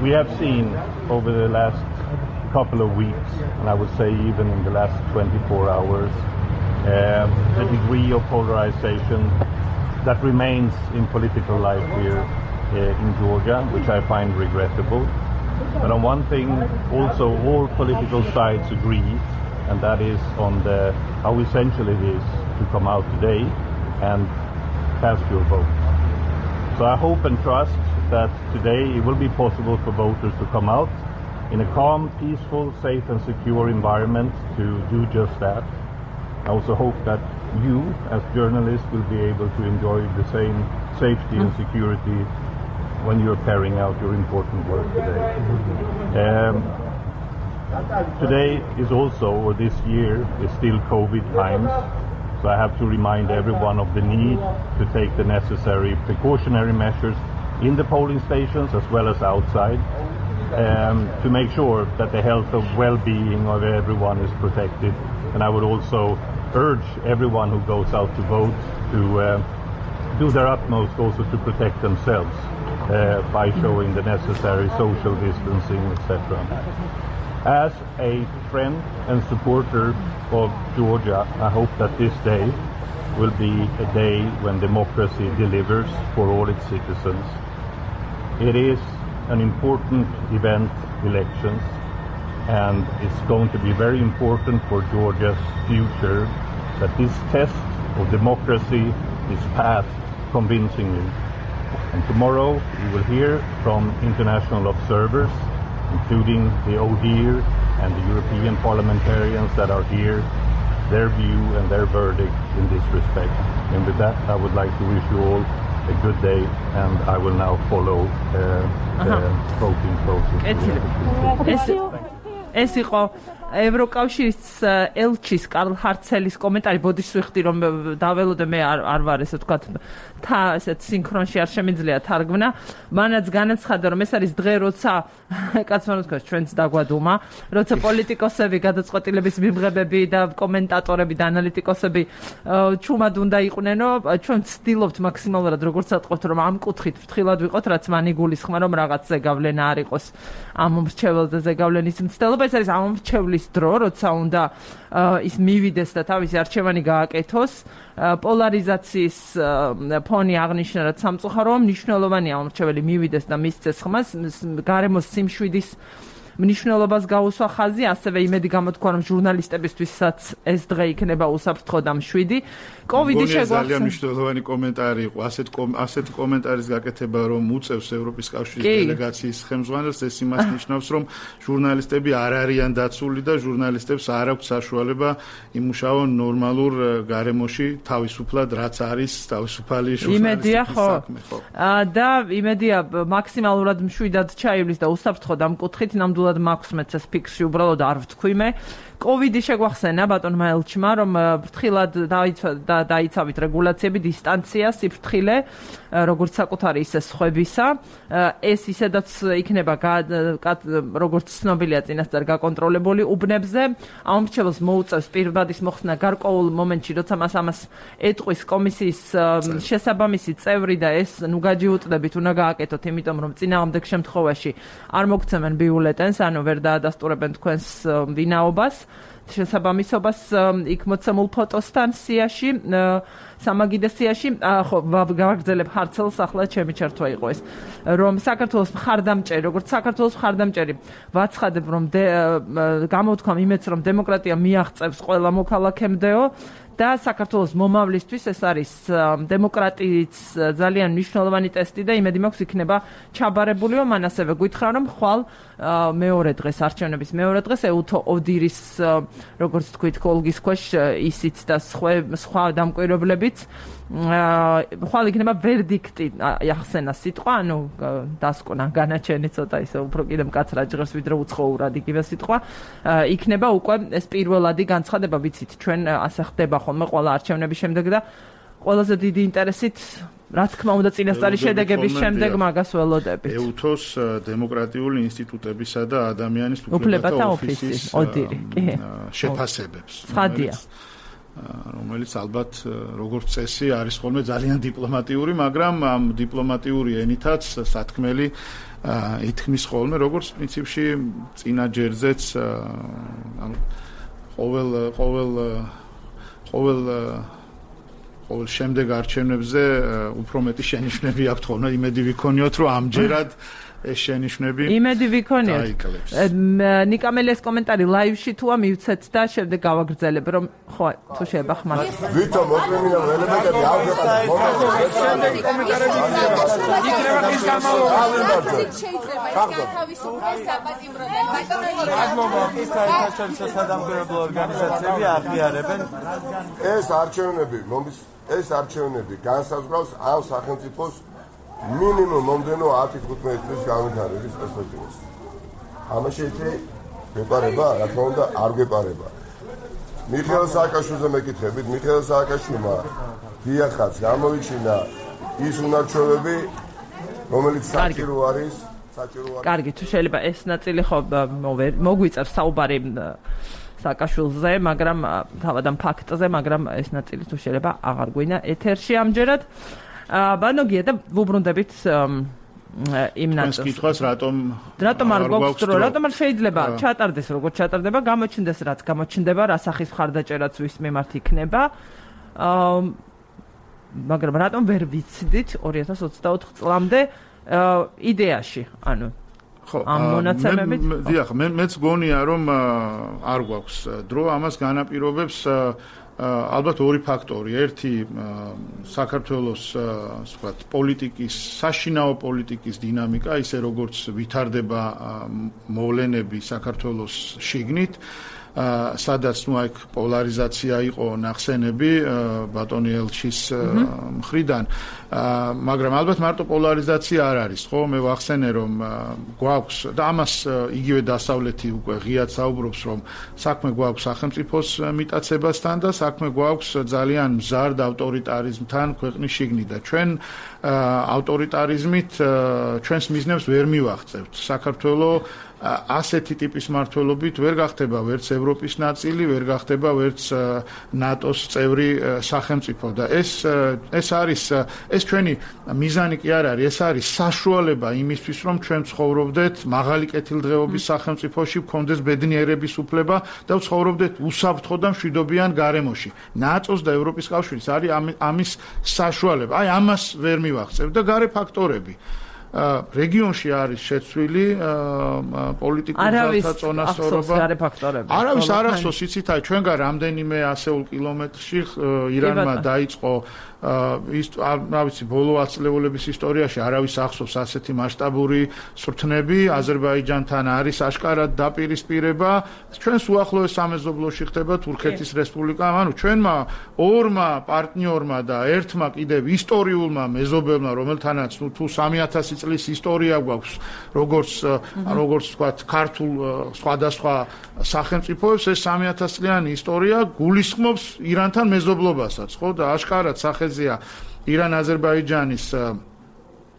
We have seen over the last couple of weeks, and I would say even in the last 24 hours, the degree of polarization that remains in political life here in Georgia, which I find regrettable. But on one thing, also all political sides agree, and that is on how essential it is to come out today and cast your vote. So I hope and trust that today it will be possible for voters to come out in a calm, peaceful, safe and secure environment to do just that. I also hope that you, as journalists, will be able to enjoy the same safety and security when you're carrying out your important work today. Today is also, or this year, is still COVID times. So I have to remind everyone of the need to take the necessary precautionary measures in the polling stations as well as outside, to make sure that the health and well-being of everyone is protected. And I would also urge everyone who goes out to vote to do their utmost also to protect themselves by showing the necessary social distancing, etc. As a friend and supporter of Georgia, I hope that this day will be a day when democracy delivers for all its citizens. It is an important event, elections, and it's going to be very important for Georgia's future that this test of democracy is passed convincingly. And tomorrow we will hear from international observers, including the ODIHR and the European parliamentarians that are here, their view and their verdict in this respect. And with that, I would like to wish you all a good day, and I will now follow the voting process. ეს იყო ევროკავშირის ელჩის კარლ ჰარცელის კომენტარი. ბოდიშს ვიხდი, რომ დაველოდე მე არ ვარ ესე ვთქვათ, ესეთ სინქრონში არ შემიძლია თარგმნა. მანაც განაცხადა, რომ ეს არის დღე, როცა კაცმა თქვა, ჩვენც დაგვადუმა, როცა პოლიტიკოსები, გადაწყვეტილების მიმღებები და კომენტატორები და ანალიტიკოსები ჩუმად უნდა იყვნენო. ჩვენ ვცდილობთ მაქსიმალურად, როგორც ვთქვათ, რომ ამ კუთხით ფრთხილად ვიყოთ, რაც მან იგულისხმა, რომ რაღაც ზეგავლენა არ იყოს ამ მომრჩეველზე ზეგავლენის მცდელობა. ეს არის ამორჩევლის დრო, როცა უნდა ის მივიდეს და თავისი არჩევანი გააკეთოს. პოლარიზაციის ფონი აღნიშნა, რაც სამწუხაროა, მნიშვნელოვანია ამორჩეველი მივიდეს და მისცეს ხმას. გარემოს სიმშვიდის მნიშვნელობას გაუსვა ხაზი, ასევე იმედი გამოთქვა, რომ ჟურნალისტებისთვისაც ეს დღე იქნება უსაფრთხო და მშვიდი. კოვიდი შეგვახსენდა. ძალიან მნიშვნელოვანი კომენტარი იყო, ასეთ კომენტარის გაკეთება, რომ უწევს ევროპის კავშირის დელეგაციის ხელმძღვანელს, ეს იმას ნიშნავს, რომ ჟურნალისტები არ არიან დაცული და ჟურნალისტებს არ აქვს საშუალება იმუშაონ ნორმალურ გარემოში, თავისუფლად, რაც არის თავისუფალი ჟურნალისტების საქმე, ხო? და იმედია მაქსიმალურად მშვიდად ჩაივლის და უსაფრთხო დამკუთხით, ნამდვილად მაქვს მეც ეს ფიქრი, უბრალოდ არ ვთქვი მე. კოვიდი შეგვახსენა ბატონმა ელჩმა, რომ ფრთხილად დაიცავით რეგულაციები, დისტანცია, სიფრთხილე, როგორც საკუთარი ისე სხვებისა. ეს ისედაც იქნება როგორც ცნობილია წინასწარ გაკონტროლებული უბნებზე. ამორჩეველს მოუწევს პირბადის მოხსნა გარკვეულ მომენტში, როცა მას ამას ეტყვის კომისიის შესაბამისი წევრი და ეს ნუ გაჯიუტდებით, უნდა გააკეთოთ, იმიტომ რომ წინააღმდეგ შემთხვევაში არ მოგცემენ ბიულეტენს, ანუ ვერ დაადასტურებენ თქვენს ვინაობას. შესაბამისობას იქ მოცემულ ფოტოსთან სიაში, სამაგიდე სიაში, ხო, გავაგრძელებ ხარცელს, ახლა ჩემი ჩართვა იყო ეს, რომ საქართველოს მხარდამჭერი, როგორც საქართველოს მხარდამჭერი, ვაცხადებ, რომ გამოვთქვამ იმედს, რომ დემოკრატია მიაღწევს ყველა მოქალაქემდეო და საქართველოს მომავლისთვის ეს არის დემოკრატიის ძალიან მნიშვნელოვანი ტესტი და იმედი მაქვს იქნება ჩაბარებულიო. მან ასევე გითხრა, რომ ხვალ მეორე დღეს, არჩევნების მეორე დღეს ეუთო ოდირის, როგორც თქვით, კოლგის ქვეშ ისიც და სხვა დამკვირვებლებიც ხვალ იქნება ვერდიქტი, ახსენა სიტყვა, ანუ დასკვნა, განაჩენი ცოტა ისე უფრო კიდე მკაცრად ჟღერს, ვიდრე უცხოურად იგივე სიტყვა. იქნება უკვე ეს პირველადი განცხადება, ვიცით, ჩვენ ასე ხდება ხოლმე ყველა არჩევნების შემდეგ და ყველაზე დიდი ინტერესით, რა თქმა უნდა, წინასწარი შედეგების შემდეგ მაგას ველოდებით. ეუთოს დემოკრატიული ინსტიტუტებისა და ადამიანის უფლებათა ოფისის შეფასებებს. ცხადია. რომელიც ალბათ როგორც წესი არის ხოლმე ძალიან დიპლომატიური, მაგრამ ამ დიპლომატიური ენითაც სათქმელი ითქმის ხოლმე, როგორც პრინციპში წინა ჯერზეც ყოველ შემდეგ არჩევნებზე უფრო მეტი შენიშვნები აქვთ ხოლმე, იმედი ვიქონიოთ, რომ ამჯერად ეს შენიშვნები იმედი ვიქონიოთ. ნიკამელიას კომენტარი ლაივში თუა მივცეთ და შემდეგ გავაგრძელებ, რომ ხო, თუ შეიძლება ხმარ. ვითომ მოკრემინა ელემენტები შემდეგი კომენტარები იქნება ის გამალობა. შეიძლება ეს გათავისუფლდეს საპატიმროდან მადლობა. ის საერთაშორისო სადამკვირვებლო ორგანიზაციები აღიარებენ ეს არჩევნები განსაზღვრავს ამ სახელმწიფოს მინიმუმ მომდენო 10-15 წლის განვითარების პერსპექტივას. ამაში გვეპარება, რა თქმა უნდა, არ გვეპარება. მიხეილ სააკაშვილზე მეკითხებით, მიხეილ სააკაშვილმა დიახაც გამოვიჩინა ის უნარჩვევები, რომელიც საჭირო არის. კარგი, თუ შეიძლება ეს ნაწილი ხო მოგვიწევს საუბარი სააკაშვილზე, მაგრამ თავად ამ ფაქტზე, მაგრამ ეს ნაწილი თუ შეიძლება აღარ გვინა ეთერში ამჯერად. ბანოგია და ვუბრუნდებით იმ ნაწილს. თქვენს კითხვას რატომ არ გვაქვს დრო? რატომ არ შეიძლება ჩატარდეს, როგორც ჩატარდება, გამოჩნდეს რაც გამოჩნდება, რა სახის მხარდაჭერაც ვის მიმართ იქნება. მაგრამ რატომ ვერ ვიცდით 2024 წლამდე იდეაში, ანუ ამ მონაცემებით? დიახ, მეც გონია, რომ არ გვაქვს დრო, ამას განაპირობებს ალბათ ორი ფაქტორი. ერთი საქართველოს ვთქვათ პოლიტიკის, საშინაო პოლიტიკის დინამიკა, ისე როგორც ვითარდება მოვლენები საქართველოს შიგნით, სადაც ნუ აქ პოლარიზაცია იყო ნახსენები ბატონი ელჩის მხრიდან, მაგრამ ალბათ მარტო პოლარიზაცია არ არის, ხო? მე ვახსენე, რომ გვაქვს და ამას იგივე დასავლეთი უკვე ღიად საუბრობს, რომ საქმე გვაქვს სახელმწიფოს მიტაცებასთან და საქმე გვაქვს ძალიან მზარდ ავტორიტარიზმთან ქვეყნის შიგნით და ჩვენ ავტორიტარიზმით ჩვენს მიზნებს ვერ მივაღწევთ. საქართველოს ასეთი ტიპის მმართველობით ვერ გახდება ვერც ევროპის ნაწილი, ვერ გახდება ვერც ნატოს წევრი სახელმწიფო და ეს არის ეს ჩვენი მიზანი კი არ არის, ეს არის საშუალება იმისთვის, რომ ჩვენ ცხოვრობდეთ მაღალი კეთილდღეობის სახელმწიფოში, გქონდეს ბედნიერების უფლება და ცხოვრობდეთ უსაფრთხო და მშვიდობიან გარემოში. ნატოს და ევროპის კავშირის არის ამის საშუალება. აი ამას ვერ მივახცევ და გარე ფაქტორები. რეგიონში არის შეცვლილი პოლიტიკური ძალთა წონასწორობა. არავის არ ახსოვს, იცით, ჩვენგან რამდენიმე ასეულ კილომეტრში ირანმა დაიწყო რა ვიცი, ბოლო ათწლეულების ისტორიაში არავის ახსოვს ასეთი მასშტაბური სრთნები. აზერბაიჯანთან არის აშკარად დაპირისპირება. ჩვენს უახლოეს სამეზობლოში ხდება თურქეთის რესპუბლიკა. ანუ ჩვენმა ორმა პარტნიორმა და ერთმა კიდევ ისტორიულმა მეზობელმა, რომელთანაც თუ 3000 წლის ისტორია გვაქვს, როგორც ვთქვათ, ქართულ სხვადასხვა სახელმწიფოებს, ეს 3000 წლიანი ისტორია გულისხმობს ირანთან მეზობლობასაც, ხო? და აშკარად სახეზეა ირან-აზერბაიჯანის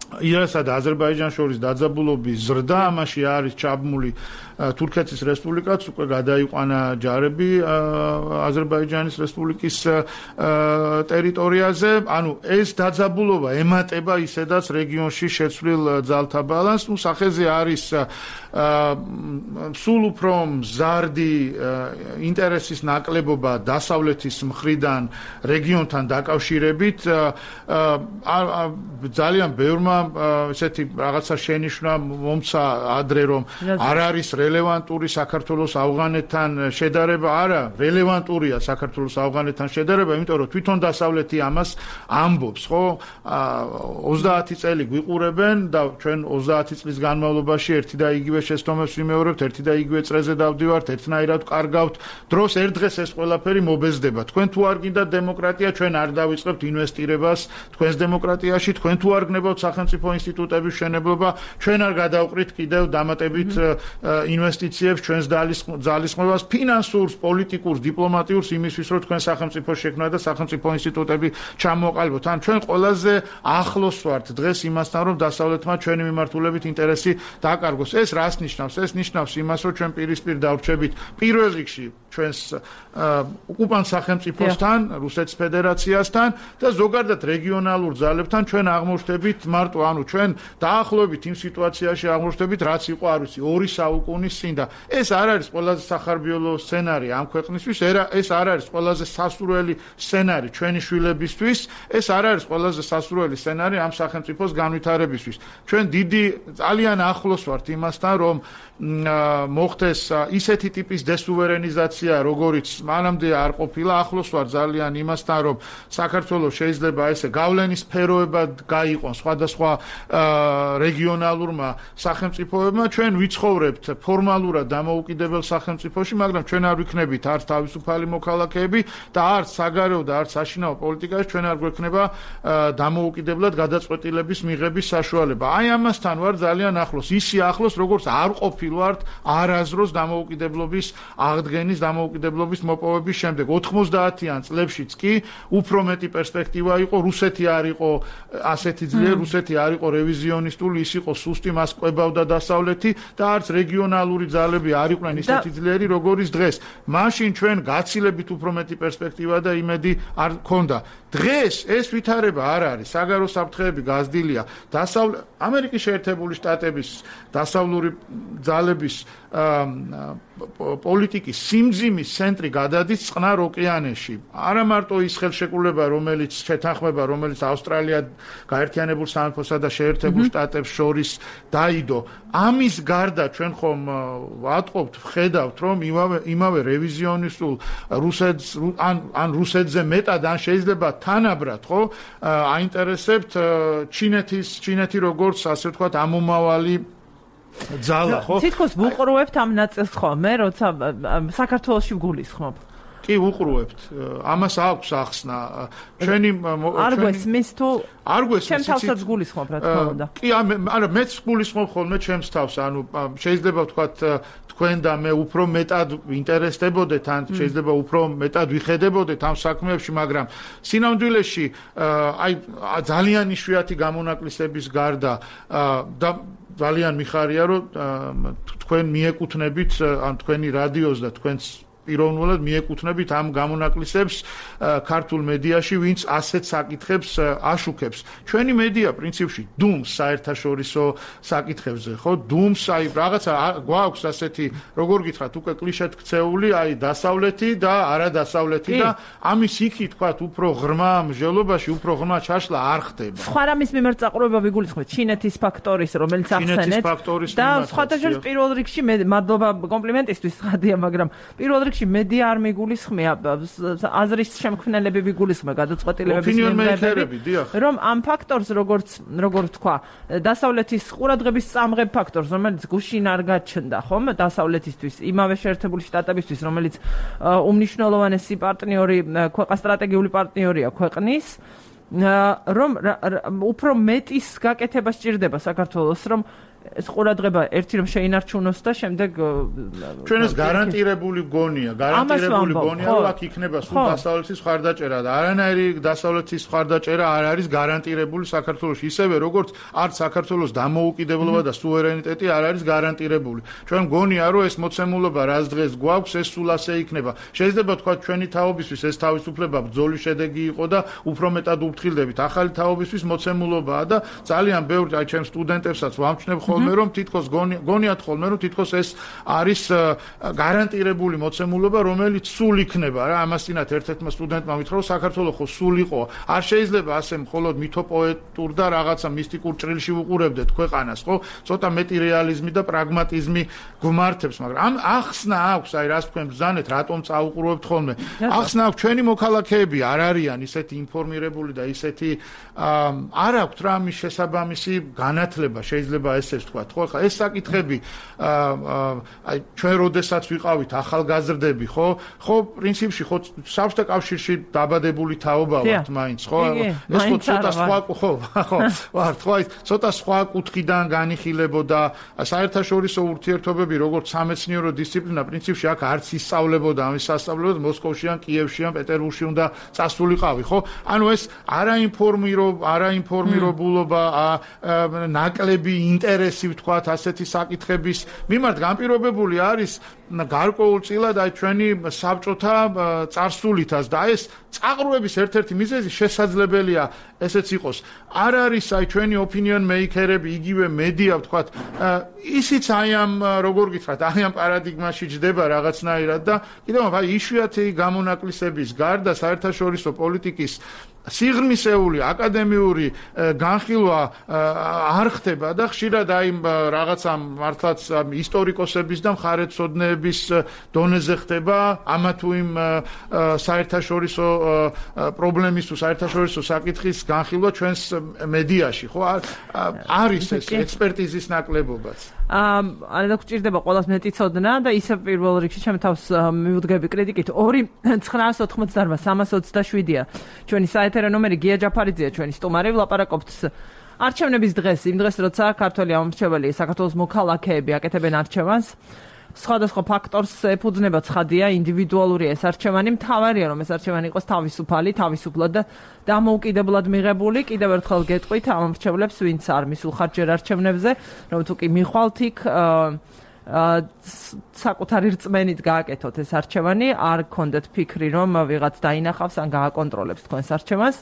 ირანსა და აზერბაიჯანს შორის დაძაბულობის ზრდა, ამაში არის ჩაბმული თურქეთის რესპუბლიკაც, უკვე გადაიყვანა ჯარები აზერბაიჯანის რესპუბლიკის ტერიტორიაზე. ანუ ეს დაძაბულობა ემატება ისედაც რეგიონში შეცვლილ ძალთა ბალანსს. სახეზე არის სულ უფრო მზარდი ინტერესის ნაკლებობა დასავლეთის მხრიდან რეგიონთან დაკავშირებით. ძალიან ბევრმა ესეთი რაღაცა შენიშვნა მომცა ადრე, რომ არ არის რელევანტური საქართველოს ავღანეთთან შედარება. არა, რელევანტურია საქართველოს ავღანეთთან შედარება, იმიტომ რომ თვითონ დასავლეთი ამას ამბობს, ხო? 30 წელი გვიყურებენ და ჩვენ 30 წლის განმავლობაში ერთი და იგივე შეცდომებს ვიმეორებთ, ერთი და იგივე წრეზე დავდივართ, ერთნაირად ვკარგავთ დროს. ერთ დღეს ეს ყველაფერი მობეზდება. თქვენ თუ არ გინდათ დემოკრატია, ჩვენ არ დავიწყებთ ინვესტირებას თქვენს დემოკრატიაში, თქვენ თუ არ გნებავთ სახელმწიფო ინსტიტუტების მშენებლობა, ჩვენ არ გადავყრით კიდევ დამატებით ინვესტიციებს, ჩვენს ძალისხმევას, ფინანსურს, პოლიტიკურს, დიპლომატიურს იმისთვის, რომ თქვენ სახელმწიფო შექმნა და სახელმწიფო ინსტიტუტები ჩამოყალიბოთ. ან ჩვენ ყველაზე ახლოს ვართ დღეს იმასთან, რომ დასავლეთმა ჩვენი მიმართულებით ინტერესი დაკარგოს. ეს რას ნიშნავს? ეს ნიშნავს იმას, რომ ჩვენ პირისპირ დავრჩებით პირველ რიგში ჩვენს ოკუპანტ სახელმწიფოსთან, რუსეთის ფედერაციასთან და ზოგადად რეგიონალურ ძალებთან ჩვენ აღმოჩნდებით მარტო, ანუ ჩვენ დაახლოებით იმ სიტუაციაში აღმოჩნდებით, რაც იყო, არ ვიცი, 2 საუკუნის წინ და ეს არ არის ყველაზე სახარბიელო სცენარი ამ ქვეყნისთვის, ეს არ არის ყველაზე სასურველი სცენარი ჩვენი შვილებისთვის, ეს არ არის ყველაზე სასურველი სცენარი ამ სახელმწიფოს განვითარებისთვის. ჩვენ ძალიან ახლოს ვართ იმასთან, რომ მოხდეს ისეთი ტიპის დესუვერენიზაცია, როგორიც მანამდე არ ყოფილა. ახლოს ვარ ძალიან იმასთან, რომ საქართველოს შეიძლება ესე გავლენის სფეროებად გაიყონ სხვადასხვა რეგიონალურმა სახელმწიფოებმა. ჩვენ ვიცხოვრებთ ფორმალურად დამოუკიდებელ სახელმწიფოში, მაგრამ ჩვენ არ ვიქნებით არც თავისუფალი მოქალაქეები და არც საგარეო და არც საშინაო პოლიტიკაში ჩვენ არ გვექნება დამოუკიდებლად გადაწყვეტილების მიღების საშუალება. აი ამასთან ვარ ძალიან ახლოს, ისე ახლოს, როგორც არ ყოფილვართ არაზროს დამოუკიდებლობის აღდგენის, დამოუკიდებლობის მოპოვების შემდეგ. 90-იან წლებშიც კი უფრო მეტი პერსპექტივა იყო, რუსეთი არ იყო ასეთი ძლიერი, რუსეთი არ იყო რევიზიონისტული, ის იყო სუსტი, მას ყვებავდა დასავლეთი და არც რეგიონალური ძალები არ იყვნენ ისეთი ძლიერი, როგორიც დღეს. მაშინ ჩვენ გაცილებით უფრო მეტი პერსპექტივა და იმედი არ გქონდა. დღეს ეს ვითარება არ არის, საგარეო საფრთხეები გაზრდილია. ამერიკის შეერთებული შტატების დასავლური ძალების პოლიტიკის სიმძიმის ცენტრი გადადის წყნარ ოკეანეში. არა მარტო ის ხელშეკრულება, რომელიც შეთანხმება, რომელიც ავსტრალია, გაერთიანებულ სამეფოსა და შეერთებულ შტატებს შორის დაიდო. ამის გარდა ჩვენ ხომ ვატყობთ, ვხედავთ, რომ იმავე რევიზიონისტულ ან რუსეთზე მეტად, ან შეიძლება თანაბრად, ხო, აინტერესებთ ჩინეთი როგორც, ასე ვთქვათ, ამომავალი ძალა, ხო? თითქოს ვუყურებთ ამ ნაწილს ხოლმე, როცა საქართველოში ვგულისხმობ. კი, ვუყურებთ. ამას აქვს ახსნა. ჩვენი არ გვესმის თუ არ გვესმის. ჩემს თავსაც გულისხმობ, რა თქმა უნდა. კი, არა, მეც გულისხმობ ხოლმე ჩემს თავს. ანუ შეიძლება ვთქვათ, თქვენ და მე უფრო მეტად ვინტერესდებოდეთ, ან შეიძლება უფრო მეტად ვიხედებოდეთ ამ საქმეებში, მაგრამ სინამდვილეში აი ძალიან იშვიათი გამონაკლისების გარდა და ძალიან მიხარია, რომ თქვენ მიეკუთვნებით ან თქვენი რადიოს და თქვენს პიროვნულად მიეკუთვნებით ამ გამონაკლისებს ქართულ მედიაში, ვინც ასეთ საკითხებს აშუქებს. ჩვენი მედია პრინციპში დუმს საერთაშორისო საკითხებზე, ხო? დუმს აი რაღაცა გვაქვს ასეთი, როგორ გითხრათ, უკვე კლიშედ ქცეული, აი დასავლეთი და არადასავლეთი და ამის იქით თქვათ უფრო ღრმა მსჯელობაში, უფრო ღრმა ჩაშლა არ ხდება. სხვა რამის მიმართ წაყურება ვიგულისხმეთ, ჩინეთის ფაქტორის, რომელიც ახსენეთ და სხვათა შორის პირველ რიგში მადლობა კომპლიმენტისთვის ხადია, მაგრამ პირველ რიგში მედია არ მიგულისხმია, აზრის შემქმნელები ვიგულისხმება, გადაწყვეტილებების მიმდევრები, რომ ამ ფაქტორს როგორ თქვა, დასავლეთის ყურადღების წამღებ ფაქტორს, რომელიც გუშინ არ გაჩნდა, ხომ, დასავლეთისთვის, იმავე შეერთებული შტატებისთვის, რომელიც უმნიშვნელოვანესი პარტნიორი, სტრატეგიული პარტნიორია ქვეყნის, რომ უფრო მეტის გაკეთება სჭირდება საქართველოს, რომ ეს ყურადღება ერთი რომ შეინარჩუნოს და შემდეგ ჩვენ ეს გარანტირებული გონია, რომ აქ იქნება სულ დასავლეთის მხარდაჭერა და არანაირი დასავლეთის მხარდაჭერა არ არის გარანტირებული საქართველოში, ისევე როგორც არც საქართველოს დამოუკიდებლობა და სუვერენიტეტი არ არის გარანტირებული. ჩვენ გონია რომ ეს მოცემულობა რაც დღეს გვაქვს, ეს სულ ასე იქნება. შეიძლება თქვა ჩვენი თაობისთვის ეს თავისუფლება ბრძოლის შედეგი იყო და უფრო მეტად უფრთხილდებით. ახალი თაობისთვის მოცემულობაა და ძალიან ბევრი აი ჩემ სტუდენტებსაც ვამჩნევ რომ თითქოს გონიათ ხოლმე რომ თითქოს ეს არის გარანტირებული მოცემულობა, რომელიც სულ იქნება რა. ამასთანავე ერთ-ერთმა სტუდენტმა მითხრა რომ საქართველოს ხო სულ იყო. არ შეიძლება ასე მხოლოდ მითოპოეტურ და რაღაცა მისტიკურ ჭრილში უყურებდეთ ქვეყანას, ხო? ცოტა მეტი რეალიზმი და პრაგმატიზმი გვმართებს, მაგრამ ამ ახსნა აქვს, აი რას თქვენ ბრძანეთ, რატომ წაუყურებთ ხოლმე. ახსნა აქვს, ჩვენი მოქალაქეები არ არიან ისეთი ინფორმირებული და ისეთი არ აქვთ რა ამის შესაბამისი განათლება, შეიძლება ესეც თქვათ, ხო? ხა ეს საკითხები აი ჩვენ როდესაც ვიყავით ახალგაზრდები, ხო? ხო, პრინციპში ხო საბჭოთა კავშირში დაბადებული თაობა ვართ მაინც, ხო? ეს ხო ცოტა სხვა, ხო, ვართ, ხო, ცოტა სხვა კუთხიდან განიხილებოდა საერთაშორისო ურთიერთობები, როგორც სამეცნიერო დისციპლინა, პრინციპში აქ არც ისწავლებოდა, ამის სასწავლებლად მოსკოვში ან კიევში ან პეტერბურგში უნდა წასულიყავი, ხო? ანუ ეს არაინფორმირებულობა, ნაკლები ინტერესი ვთქვათ ასეთი საკითხების მიმართ განპირობებული არის გარკვეულწილად აი ჩვენი საბჭოთა წარსულითაც და ეს წაყრუების ერთ-ერთი მიზეზი შესაძლებელია ესეც იყოს. არ არის აი ჩვენი opinion maker-ები, იგივე მედია ვთქვათ, ისიც აი ამ როგორ გითხრათ, აი ამ პარადიგმაში ჯდება რაღაცნაირად და კიდევ აი იშვიათი გამონაკლისების გარდა საერთაშორისო პოლიტიკის სიღრმისეული აკადემიური განხილვა არ ხდება და ხშირად აი რაღაცა მართლაც ისტორიკოსების და მხარეთმცოდნეების დონეზე ხდება ამა თუ იმ საერთაშორისო პრობლემის თუ საერთაშორისო საკითხის განხილვა ჩვენს მედიაში, ხო? არის ეს ექსპერტიზის ნაკლებობაც. არა გჭირდება ყველას მეტი ცოდნა და ისე პირველ რიგში ჩემ თავს მივუდგები კრიტიკით 2-928-327-ია ჩვენი საეთერო ნომერი, გია ჯაფარიძეა ჩვენი სტუმარი, ვლაპარაკობთ არჩევნების დღეს, იმ დღეს როცა ქართველი ამომრჩეველი საქართველოს მოქალაქეები აკეთებენ არჩევანს. სხვადასხვა ფაქტორს ეფუძნება, ცხადია, ინდივიდუალურია ეს არჩევანი, მთავარია რომ ეს არჩევანი იყოს თავისუფალი, თავისუფლად და დამოუკიდებლად მიღებული. კიდევ ერთხელ გეტყვით ამომრჩევლებს, ვინც არ მისულ ხარჯერ არჩევნებზე, რომ თუ კი მიხვალთ იქ საკუთარი რწმენით გააკეთოთ ეს არჩევანი, არ გქონდეთ ფიქრი რომ ვიღაც დაინახავს ან გააკონტროლებს თქვენს არჩევანს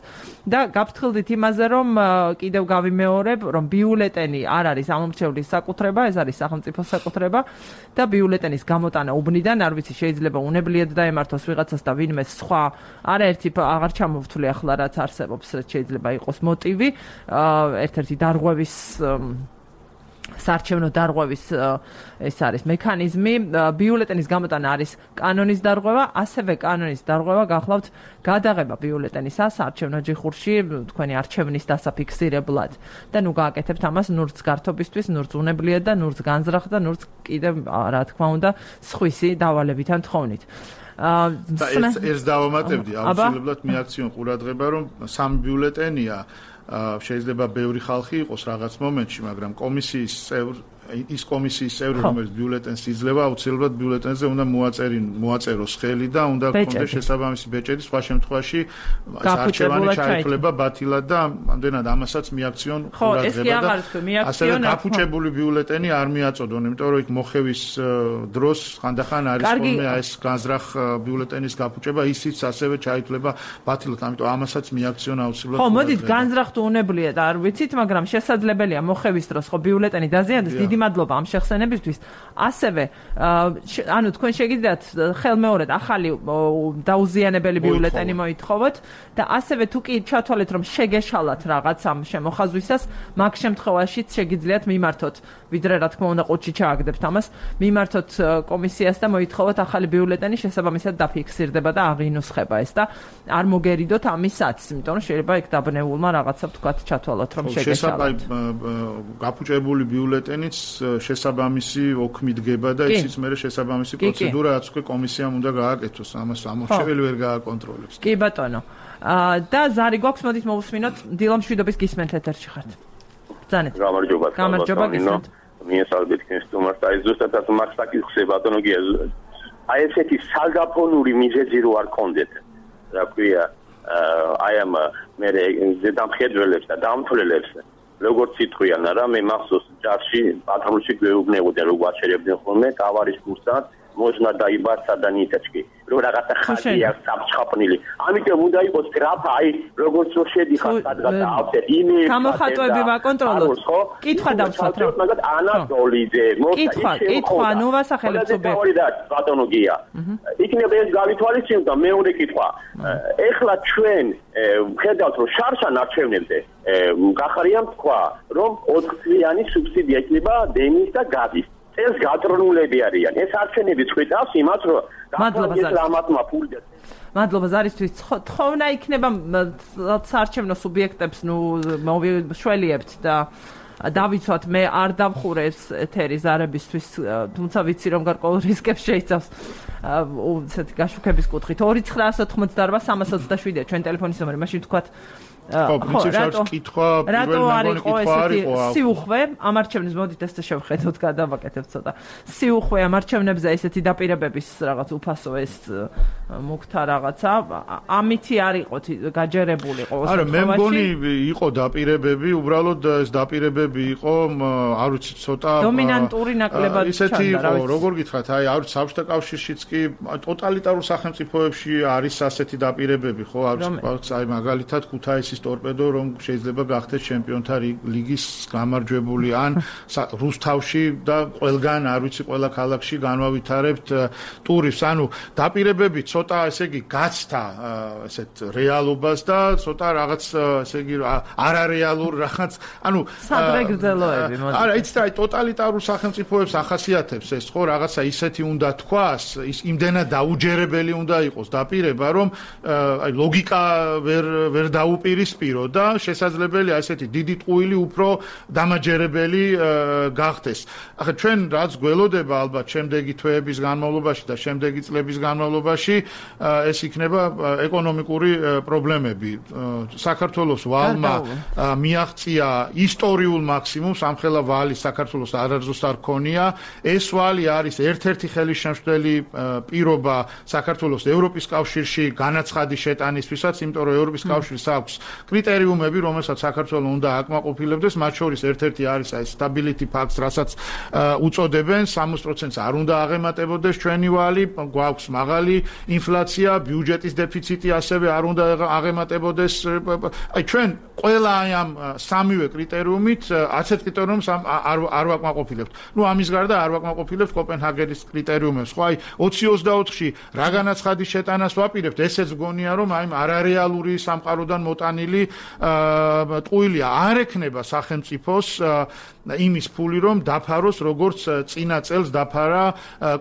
და გაფრთხილდით იმაზე რომ კიდევ გავიმეორებ რომ ბიულეტენი არ არის ამომრჩევლის საკუთრება, ეს არის სახელმწიფოს საკუთრება და ბიულეტენის გამოტანა უბნიდან არ ვიცი შეიძლება უნებლიეთ დაემართოს ვიღაცას და ვინმე სხვა არაერთი აღარ ჩამოვთვლი ახლა რაც არსებობს, შეიძლება იყოს მოტივი ერთ-ერთი დარღვევის საარჩევნო დარღვევის ეს არის მექანიზმი. ბიულეტენის გამოტანა არის კანონის დარღვევა, ასევე კანონის დარღვევა გახლავთ გადაღება ბიულეტენისა საარჩევნო ჯიხურში თქვენი არჩევნის დასაფიქსირებლად და ნუ გააკეთებთ ამას ნურც გართობისთვის, ნურც უნებლიეთ და ნურც განზრახ და ნურც კიდევ რა თქმა უნდა სხვისი დავალებიდან თხოვნით. და ეს დავამატებდი, აუცილებლად მიაქციონ ყურადღება რომ სამი ბიულეტენია შეიძლება ბევრი ხალხი იყოს რაღაც მომენტში, მაგრამ კომისიის ის კომისიის წევრი, რომელიც ბიულეტენს იძლევა, აუცილებლად ბიულეტენზე უნდა მოაწეროს ხელი და უნდა გქონდეს შესაბამისი ბეჭედი, სხვა შემთხვევაში არჩევანი ჩაითვლება ბათილად და ამდენად ამასაც მიაქციონ ყურადღება და ასევე გაფუჭებული ბიულეტენი არ მიაწოდონ, იმიტომ რომ იქ მოხევის დროს ხანდახან არის ხოლმე ეს განზრახ ბიულეტენის გაფუჭება, ისიც ასევე ჩაითვლება ბათილად, ამიტომ ამასაც მიაქციონ აუცილებლად. ხო, მოდით განზრახ თუ უნებლიეთ, არ ვიცით, მაგრამ შესაძლებელია მოხევის დროს ხო ბიულეტენი დაზიანდეს. დიდი მადლობა ამ შეხსენებისთვის. ასევე ანუ თქვენ შეგიძლიათ ხელმეორედ ახალი დაუზიანებელი ბიულეტენი მოითხოვოთ და ასევე თუ კი ჩათვალეთ რომ შეგეშალათ რაღაც ამ შემოხაზვისას, მაგ შემთხვევაშიც შეგიძლიათ მიმართოთ, ვიდრე რა თქმა უნდა ყუთში ჩააგდებთ ამას, მიმართოთ კომისიას და მოითხოვოთ ახალი ბიულეტენი, შესაბამისად დაფიქსირდება და აღინუსხება ეს და არ მოგერიდოთ ამისაც, იმიტომ რომ შეიძლება იქ დაბნეულმა რაღაცა თქვათ ჩათვალოთ რომ შეგეშალათ. გაფუჭებული ბიულეტენიც შესაბამისი ოქმი დგება და ისიც მერე შესაბამისი პროცედურა რაც უკვე კომისიამ უნდა გააკეთოს, ამას ამორჩეველი ვერ გააკონტროლებს. კი ბატონო. და ზარი გვაქვს, მოდით მოვუსმინოთ, დილა მშვიდობის გისმენთ ეთერში ხართ. ბრძანეთ. გამარჯობა გისმენთ. მიესალმებით კენსტუმარს და ზუსტად მაგსაკის ხსება ბატონო გია. აი ესეთი საგაფონური მიზეზი რო არ კონდეთ. რა ქვია, აი ამ მე ზედამხედველებს და დამთვლელებს როგორც იტყვიან რა მე მახსოვს ჯარში პატრულში გვეუბნებოდნენ რომ გვაჩერებდნენ ხოლმე კავარის კურსად მოშნა დაიბარსა და ნიტაჩკი რომ რაღაცა ხალხია საფრთხაფნილი ამიტომ უნდა იყოს გრაფა აი როგორც რო შედიხარ სადღაც ავსეთ იმეილი გამოხატვები ვაკონტროლოთ კითხვა დავსვათ რა მაგათ ანატოლიძე კითხვა ნუ ვასახელებ სუბიექტი ბატონო გია იქნება ეს გავითვალისწინოთ და მეორე კითხვა ეხლა ჩვენ ხედავთ რომ შარშან არჩევნებზე გახარია თქვა რომ 4 წლიანი სუბსიდია იქნება დენის და გაზის ეს გატრონულები არიან. ეს არჩევნები წვითავს იმას, რომ გამართლამათმა ფული მადლობა ზარისთვის. თხოვნა იქნება საარჩევნო სუბიექტებს, ნუ მოვშველიებთ და დავიცვათ, მე არ დავხურე ეს ეთერი ზარებისთვის, თუმცა ვიცი რომ გარკვეულ რისკებს შეიცავს. ესეთი გაშუქების კუთხით 2988327 ჩვენ ტელეფონის ნომერი, მაშინ თქვათ ხო, პრინციპში კითხვა, პირველი მეგონი კითხვა არისო. სიუხვე ამ არჩევნებს მოდით ეს შევხედოთ, გადავაკეთებთ ცოტა. სიუხვე ამ არჩევნებზე ესეთი დაპირებების რაღაც უფასო ეს მუქთა რაღაცა, ამითი არ იყოთ გაჯერებულიყო. არა, მე მგონი იყო დაპირებები, უბრალოდ ეს დაპირებები იყო, არ ვიცი, ცოტა დომინანტური ნაკლებად ისეთი იყო, როგორ გითხრათ, აი, არ ვიცი, საბჭოთა კავშირშიც კი ტოტალიტარულ სახელმწიფოებში არის ასეთი დაპირებები, ხო, არ ვიცი, აი მაგალითად ქუთაისის ტორპედო რომ შეიძლება გახდეს ჩემპიონთა ლიგის გამარჯვებული ან რუსთავში და ყველგან არ ვიცი ყველა ქალაქში განვავითარებთ ტურის ანუ დაპირებები ცოტა ესე იგი გაცდა ესეთ რეალობას და ცოტა რაღაც ესე იგი არარეალურ რაღაც ანუ სადრეგრძელოები მოდი არა იცით აი ტოტალიტარულ სახელმწიფოებს ახასიათებს ეს ხო რაღაცა ისეთი უნდა თქვას ის იმდენად დაუჯერებელი უნდა იყოს დაპირება რომ აი ლოგიკა ვერ დაუპირისპირო და შესაძლებელია ესეთი დიდი ტყუილი უფრო დამაჯერებელი გახდეს. ახლა ჩვენ რაც გველოდება ალბათ შემდეგი თვეების განმავლობაში და შემდეგი წლების განმავლობაში ეს იქნება ეკონომიკური პრობლემები. საქართველოს ვალმა მიაღწია ისტორიულ მაქსიმუმს, ამხელა ვალი საქართველოს არაზუსტ არ ქონია. ეს ვალი არის ერთ-ერთი ხელისშემშლელი პირობა საქართველოს ევროპის კავშირში განაცხადი შეტანისთვისაც, იმიტომ რომ ევროპის კავშირს აქვს კრიტერიუმები, რომელსაც საქართველოს უნდა აკმაყოფილებდეს, მათ შორის ერთ-ერთი არის აი stability pact, რასაც უწოდებენ, 60%-ს არ უნდა აღემატებოდეს ჩვენი ვალი, გვაქვს მაღალი ინფლაცია, ბიუჯეტის დეფიციტი ასევე არ უნდა აღემატებოდეს. აი ჩვენ ყველა აი ამ სამივე კრიტერიუმით, ასეთ კრიტერიუმს არ ვაკმაყოფილებთ. ნუ ამის გარდა არ ვაკმაყოფილებთ კოპენჰაგენის კრიტერიუმებს. ხო აი 2024-ში რა განაცხადის შეტანას ვაპირებთ, ესეც გონია რომ აი არარეალური სამყაროდან მოტანილი ტყუილია არ ექნება სახელმწიფოს იმის ფული რომ დაფაროს როგორც წინა წელს დაფარა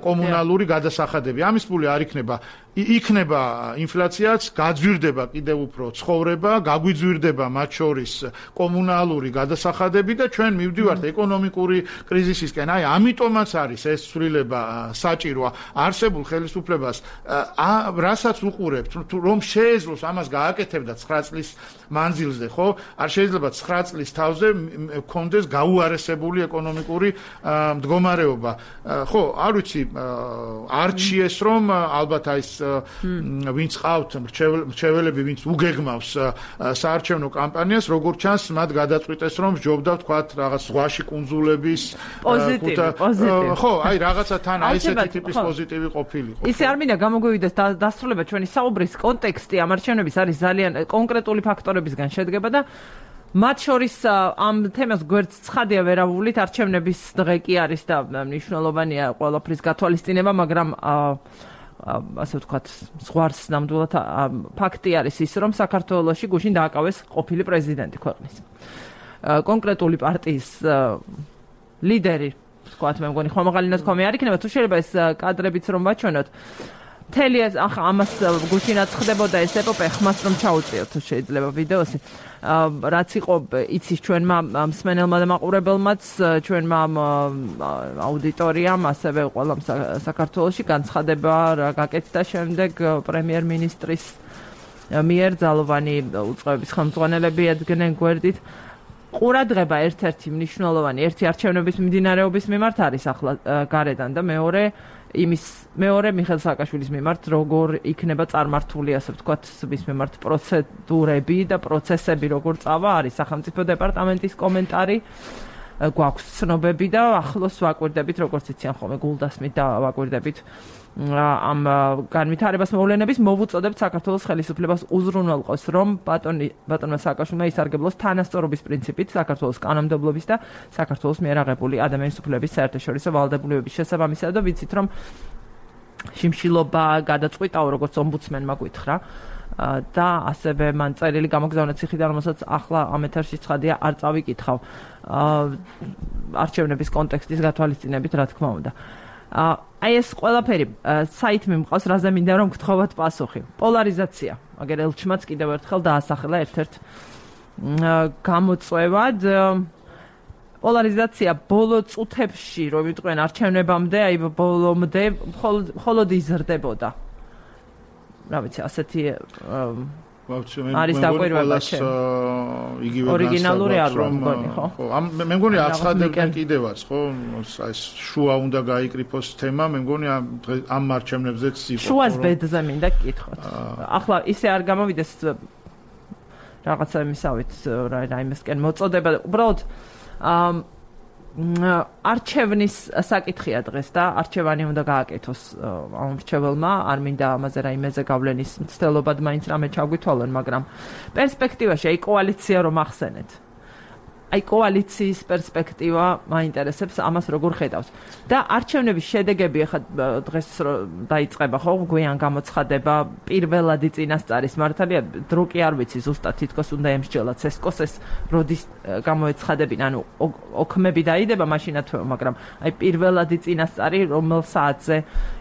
კომუნალური გადასახადები. ამის ფული არ იქნება იქნება ინფლაციაც, გაძვირდება კიდევ უფრო ცხოვრება, გაგვიძვირდება მათ შორის კომუნალური გადასახადები და ჩვენ მივდივართ ეკონომიკური კრიზისისკენ. აი, ამიტომაც არის ეს ცვლილება საჭირო არსებულ ხელისუფლებას, რასაც უყურებთ, რომ შეეძლოს ამას გააკეთებდა 9 წლის მანძილზე, ხო? არ შეიძლება 9 წლის თავზე გქონდეს გაუარესებული ეკონომიკური მდგომარეობა. ხო, არ ვიცი, არჩიეს რომ ალბათ აი ვინც ყავთ მრჩეველები, ვინც უგეგმავს საარჩევნო კამპანიას, როგორც ჩანს, მათ გადაწყვიტეს რომ ჯობდა ვთქვათ რაღაც ზღვაში კუნძულების პოზიტივი. ხო, აი რაღაცა თან აი ესეთი ტიპის პოზიტივი ყოფილიყო. ისე არ მინდა გამოგვივიდეს დასრულება ჩვენი საუბრის კონტექსტი ამ არჩევნების არის ძალიან კონკრეტული ფაქტორებისგან შედგება და მათ შორის ამ თემას გვერდს ცხადია ვერავულით არჩევნების დღე კი არის და მნიშვნელოვანია ყველაფრის გათვალისწინება, მაგრამ ასე ვთქვათ, ზღვარს ნამდვილად ფაქტი არის ის, რომ საქართველოში გუშინ დააკავეს ყოფილი პრეზიდენტი ქვეყნის. კონკრეტული პარტიის ლიდერი, ვთქვათ, მე მგონი ხომაღალი ნათქვამი არ იქნება, თუ შეიძლება ეს კადრებიც რომ ვაჩვენოთ. მთელი ამას გუშინაც ხდებოდა ეს ეპოპეა, ხმას რომ ჩაუწიოთ თუ შეიძლება ვიდეოსი. რაც იყო იცის ჩვენმა მსმენელმა და მაყურებელმაც, ჩვენმა აუდიტორიამ, ასევე ყველამ საქართველოში განცხადება რა გაკეთდა შემდეგ პრემიერ-მინისტრის მიერ ძალოვანი უწყებების ხელმძღვანელები ედგნენ გვერდით. ყურადღება ერთ-ერთი მნიშვნელოვანი, ერთი არჩევნების მიმდინარეობის მიმართ არის ახლა გარედან და მეორე მიხეილ სააკაშვილის მიმართ როგორ იქნება წარმართული, ასე ვთქვათ, მის მიმართ პროცედურები და პროცესები როგორ წავა, არის სახელმწიფო დეპარტამენტის კომენტარი, გვაქვს ცნობები და ახლოს ვაკვირდებით, როგორც იციან ხოლმე გულდასმით და ვაკვირდებით ამ განვითარებას მოვლენების მოვუწოდებთ საქართველოს ხელისუფლებას უზრუნველყოს, რომ ბატონმა სააკაშვილმა ისარგებლოს თანასწორობის პრინციპით საქართველოს კანონმდებლობის და საქართველოს მიერ აღებული ადამიანის უფლებების საერთაშორისო ვალდებულებების შესაბამისად და ვიცით, რომ შიმშილობა გადაწყვიტაო, როგორც ომბუდსმენმა გითხრა და ასევე მან წერილი გამოგზავნა ციხიდან, რომელსაც ახლა ამ ეთერში ცხადია არ წავიკითხავ არჩევნების კონტექსტის გათვალისწინებით, რა თქმა უნდა. აი ეს ყველაფერი საითმი მყავს, რაზე მინდა რომ გთხოვოთ პასუხი. პოლარიზაცია. მაგერ ელჩმაც კიდევ ერთხელ დაასახელა ერთ-ერთ გამოწვევად. პოლარიზაცია ბოლო წუთებში, რომ ვიტყვენ არჩევნებამდე, აი ბოლომდე მხოლოდ იზრდებოდა. რა ვიცი, ასეთი არის დაკვირვება იგივე ორიგინალური არ მგონი, ხო? მე მგონი აცხადებდნენ კიდევაც, ხო? ეს შუა უნდა გაიკრიფოს თემა, მე მგონი ამ არჩევნებზეც იყო. შუას ბედზე მინდა გკითხოთ. ახლა ისე არ გამოვიდეს რაღაცა იმისავით, რაიმესკენ მოწოდება, უბრალოდ არჩევნის საკითხია დღეს და არჩევანი უნდა გააკეთოს ამ მრჩეველმა, არ მინდა ამაზე რაიმეზე გავლენის მცდელობად მაინც რამე ჩაგვითვალონ, მაგრამ პერსპექტივაში აი კოალიცია რომ ახსენეთ. აი კოალიციის პერსპექტივა მაინტერესებს, ამას როგორ ხედავს. და არჩევნების შედეგები ახლა დღეს დაიწყება, ხო, გვიან გამოცხადება პირველადი წინასწარის მართალია, დრო კი არ ვიცი ზუსტად, თითქოს უნდა ემსჯელოთ სესკოს ეს როდის გამოეცხადებინა, ანუ ოქმები დაიდება მაშინათვე, მაგრამ აი პირველადი წინასწარი რომელ საათზე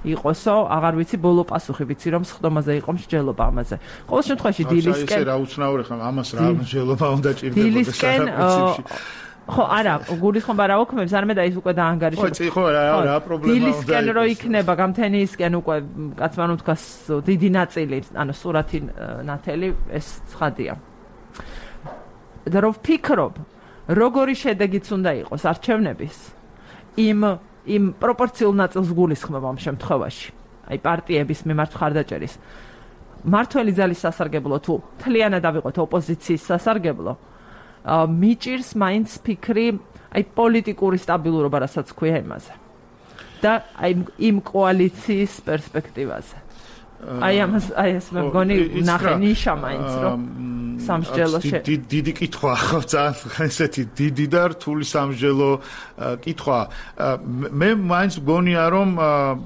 იყოსო, აღარ ვიცი, ბოლო პასუხი ვიცი, რომ სხდომაზე იყო მსჯელობა ამაზე. ყოველ შემთხვევაში დილისკენ რა უცნაური ხომ ამას რა მსჯელობა უნდა ჭირდებოდეს. ხო, არა, გულისხმობა რა ოქმებს, არამედ აი უკვე დაანგარიშებს. ხო, რა პრობლემა უნდა. დილისკენ რო იქნება, გამთენიისკენ უკვე კაცმან უთქვას დიდი ნაწილი, ანუ სურათი ნათელი, ეს ცხადია. და რო ვფიქრობ, როგორი შედეგიც უნდა იყოს არჩევნების, იმ პროპორციულ ნაწილს გულისხმობ ამ შემთხვევაში. აი პარტიების მიმართ მხარდაჭერის. მართველი ძალის სასარგებლო თუ მთლიანად ავიღოთ ოპოზიციის სასარგებლო, მიჭირს მაინც ფიქრი აი პოლიტიკური სტაბილურობა, რასაც ქვია იმაზე. და აი იმ კოალიციის პერსპექტივაზე. აი ეს მე მგონი ნახე ნიშა მაინც, რომ სამსჯელო დიდი კითხვა ხო, ძალიან ესეთი დიდი და რთული სამსჯელო კითხვა. მე მაინც მგონია, რომ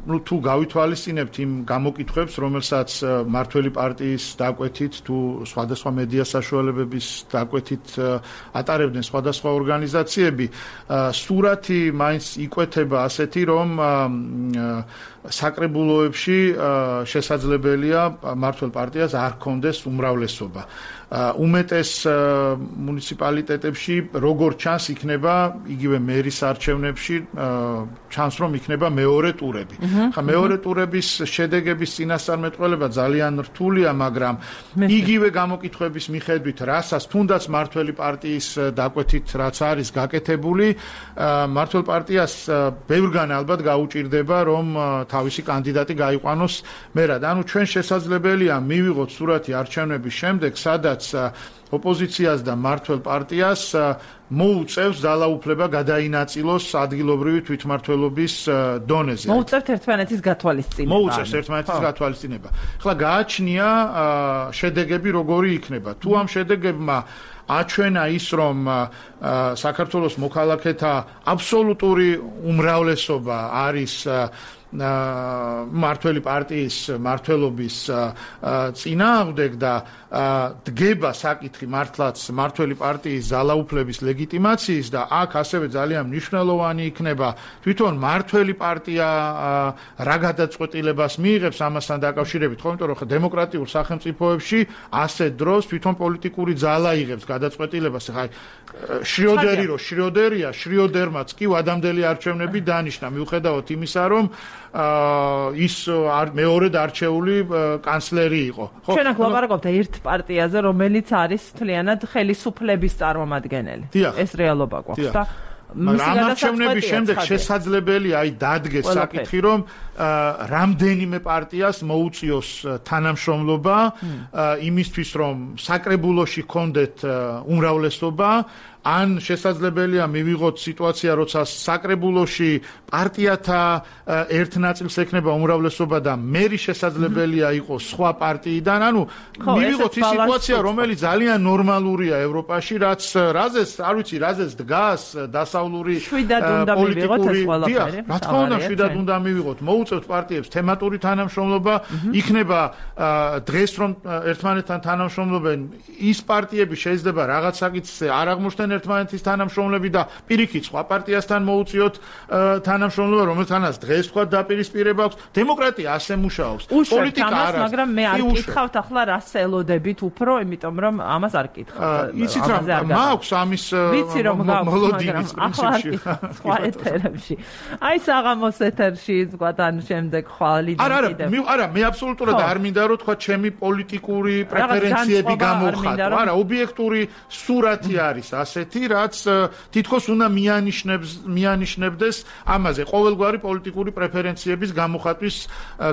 ნუ თუ გავითვალისწინებთ იმ გამოკითხვებს, რომელსაც მართველი პარტიის დაკვეთით თუ სხვადასხვა მედია საშუალებების დაკვეთით ატარებდნენ სხვადასხვა ორგანიზაციები, სურათი მაინც იკვეთება ასეთი, რომ საკრებულოებში შესაძლოა შესაძლებელია მმართველ პარტიას არ ჰქონდეს უმრავლესობა. უმეტეს მუნიციპალიტეტებში როგორ ჩანს იქნება იგივე მერის არჩევნებში ჩანს რომ იქნება მეორე ტურები. ხა მეორე ტურების შედეგების წინასწარმეტყველება ძალიან რთულია, მაგრამ იგივე გამოკითხვების მიხედვით, რასაც თუნდაც მმართველი პარტიის დაკვეთით რაც არის გაკეთებული, მმართველ პარტიას ბევრგან ალბათ გაუჭირდება რომ თავისი კანდიდატი გაიყვანოს მერად. ანუ ჩვენ შესაძლებელია მივიღოთ სურათი არჩევნების შემდეგ, სადაც ოპოზიციას და მმართველ პარტიას მოუწევს ძალაუფლება გადაინაწილოს ადგილობრივი თვითმმართველობის დონეზე. მოუწევთ ერთმანეთის გათვალისწინება. მოუწევს ერთმანეთის გათვალისწინება. ახლა გააჩნია შედეგები როგორი იქნება. თუ ამ შედეგებმა აჩვენა ის რომ საქართველოს მოქალაქეთა აბსოლუტური უმრავლესობა არის მმართველი პარტიის მმართველობის წინააღმდეგ და დგება საკითხი მართლაც მმართველი პარტიის ძალაუფლების ლეგიტიმაციის და აქ ასევე ძალიან მნიშვნელოვანი იქნება თვითონ მმართველი პარტია რა გადაწყვეტილებას მიიღებს ამასთან დაკავშირებით, ხო, იმიტომ რომ დემოკრატიულ სახელმწიფოებში ასეთ დროს თვითონ პოლიტიკური ძალა იღებს გადაწყვეტილებას. ხა შრიოდერია, შრიოდერმაც კი ვადამდელი არჩევნები დანიშნა, მიუხედავად იმისა, რომ ის მეორედ არჩეული კანცლერი იყო. ხო, ჩვენ აქ ვლაპარაკობთ ერთ პარტიაზე, რომელიც არის მთლიანად ხელისუფლების წარმომადგენელი. ეს რეალობა გვაქვს და მაგრამ არჩევნების შემდეგ შესაძლებელია დადგეს საკითხი, რომ რამდენიმე პარტიას მოუწიოს თანამშრომლობა იმისთვის, რომ საკრებულოში ჰქონდეთ უმრავლესობა, ან შესაძლებელია მივიღოთ სიტუაცია, როცა საკრებულოში პარტიათა ერთ ნაწილს ექნება უმრავლესობა და მერი შესაძლებელია იყოს სხვა პარტიიდან, ანუ მივიღოთ ის სიტუაცია, რომელიც ძალიან ნორმალურია ევროპაში, რაზეც დგას დასავლური პოლიტიკური. რა თქმა უნდა, შვიდად უნდა მივიღოთ. მოუწევთ პარტიებს თემატური თანამშრომლობა, იქნება დღეს რომ ერთმანეთთან თანამშრომლობენ, ის პარტიები შეიძლება რაღაც საკითხზე არ აღმოჩნდნენ ერთმანეთის თანამშრომლები და პირიქით სხვა პარტიასთან მოუწიოთ თანამშრომლობა, რომელთანაც დღეს თქვა დაპირისპირება აქვს. დემოკრატია ასე მუშაობს. პოლიტიკა არა. მაგრამ მე არ გითხავთ ახლა რას ელოდებით უფრო, იმიტომ რომ ამას არ გითხავთ. იცით რა, მაქვს ამის მოლოდინის პრინციპში. სხვა ეთერებში. აი საღამოს ეთერში ზღვადან შემდეგ ხვალიდან კიდევ. არა, მე აბსოლუტურად არ მინდა რომ თქვა ჩემი პოლიტიკური პრეფერენციები გამოვხატო. არა, ობიექტური სურათი არის ასეთი, რაც თითქოს უნდა მიანიშნებდეს ამაზე ყოველგვარი პოლიტიკური პრეფერენციების გამოხატვის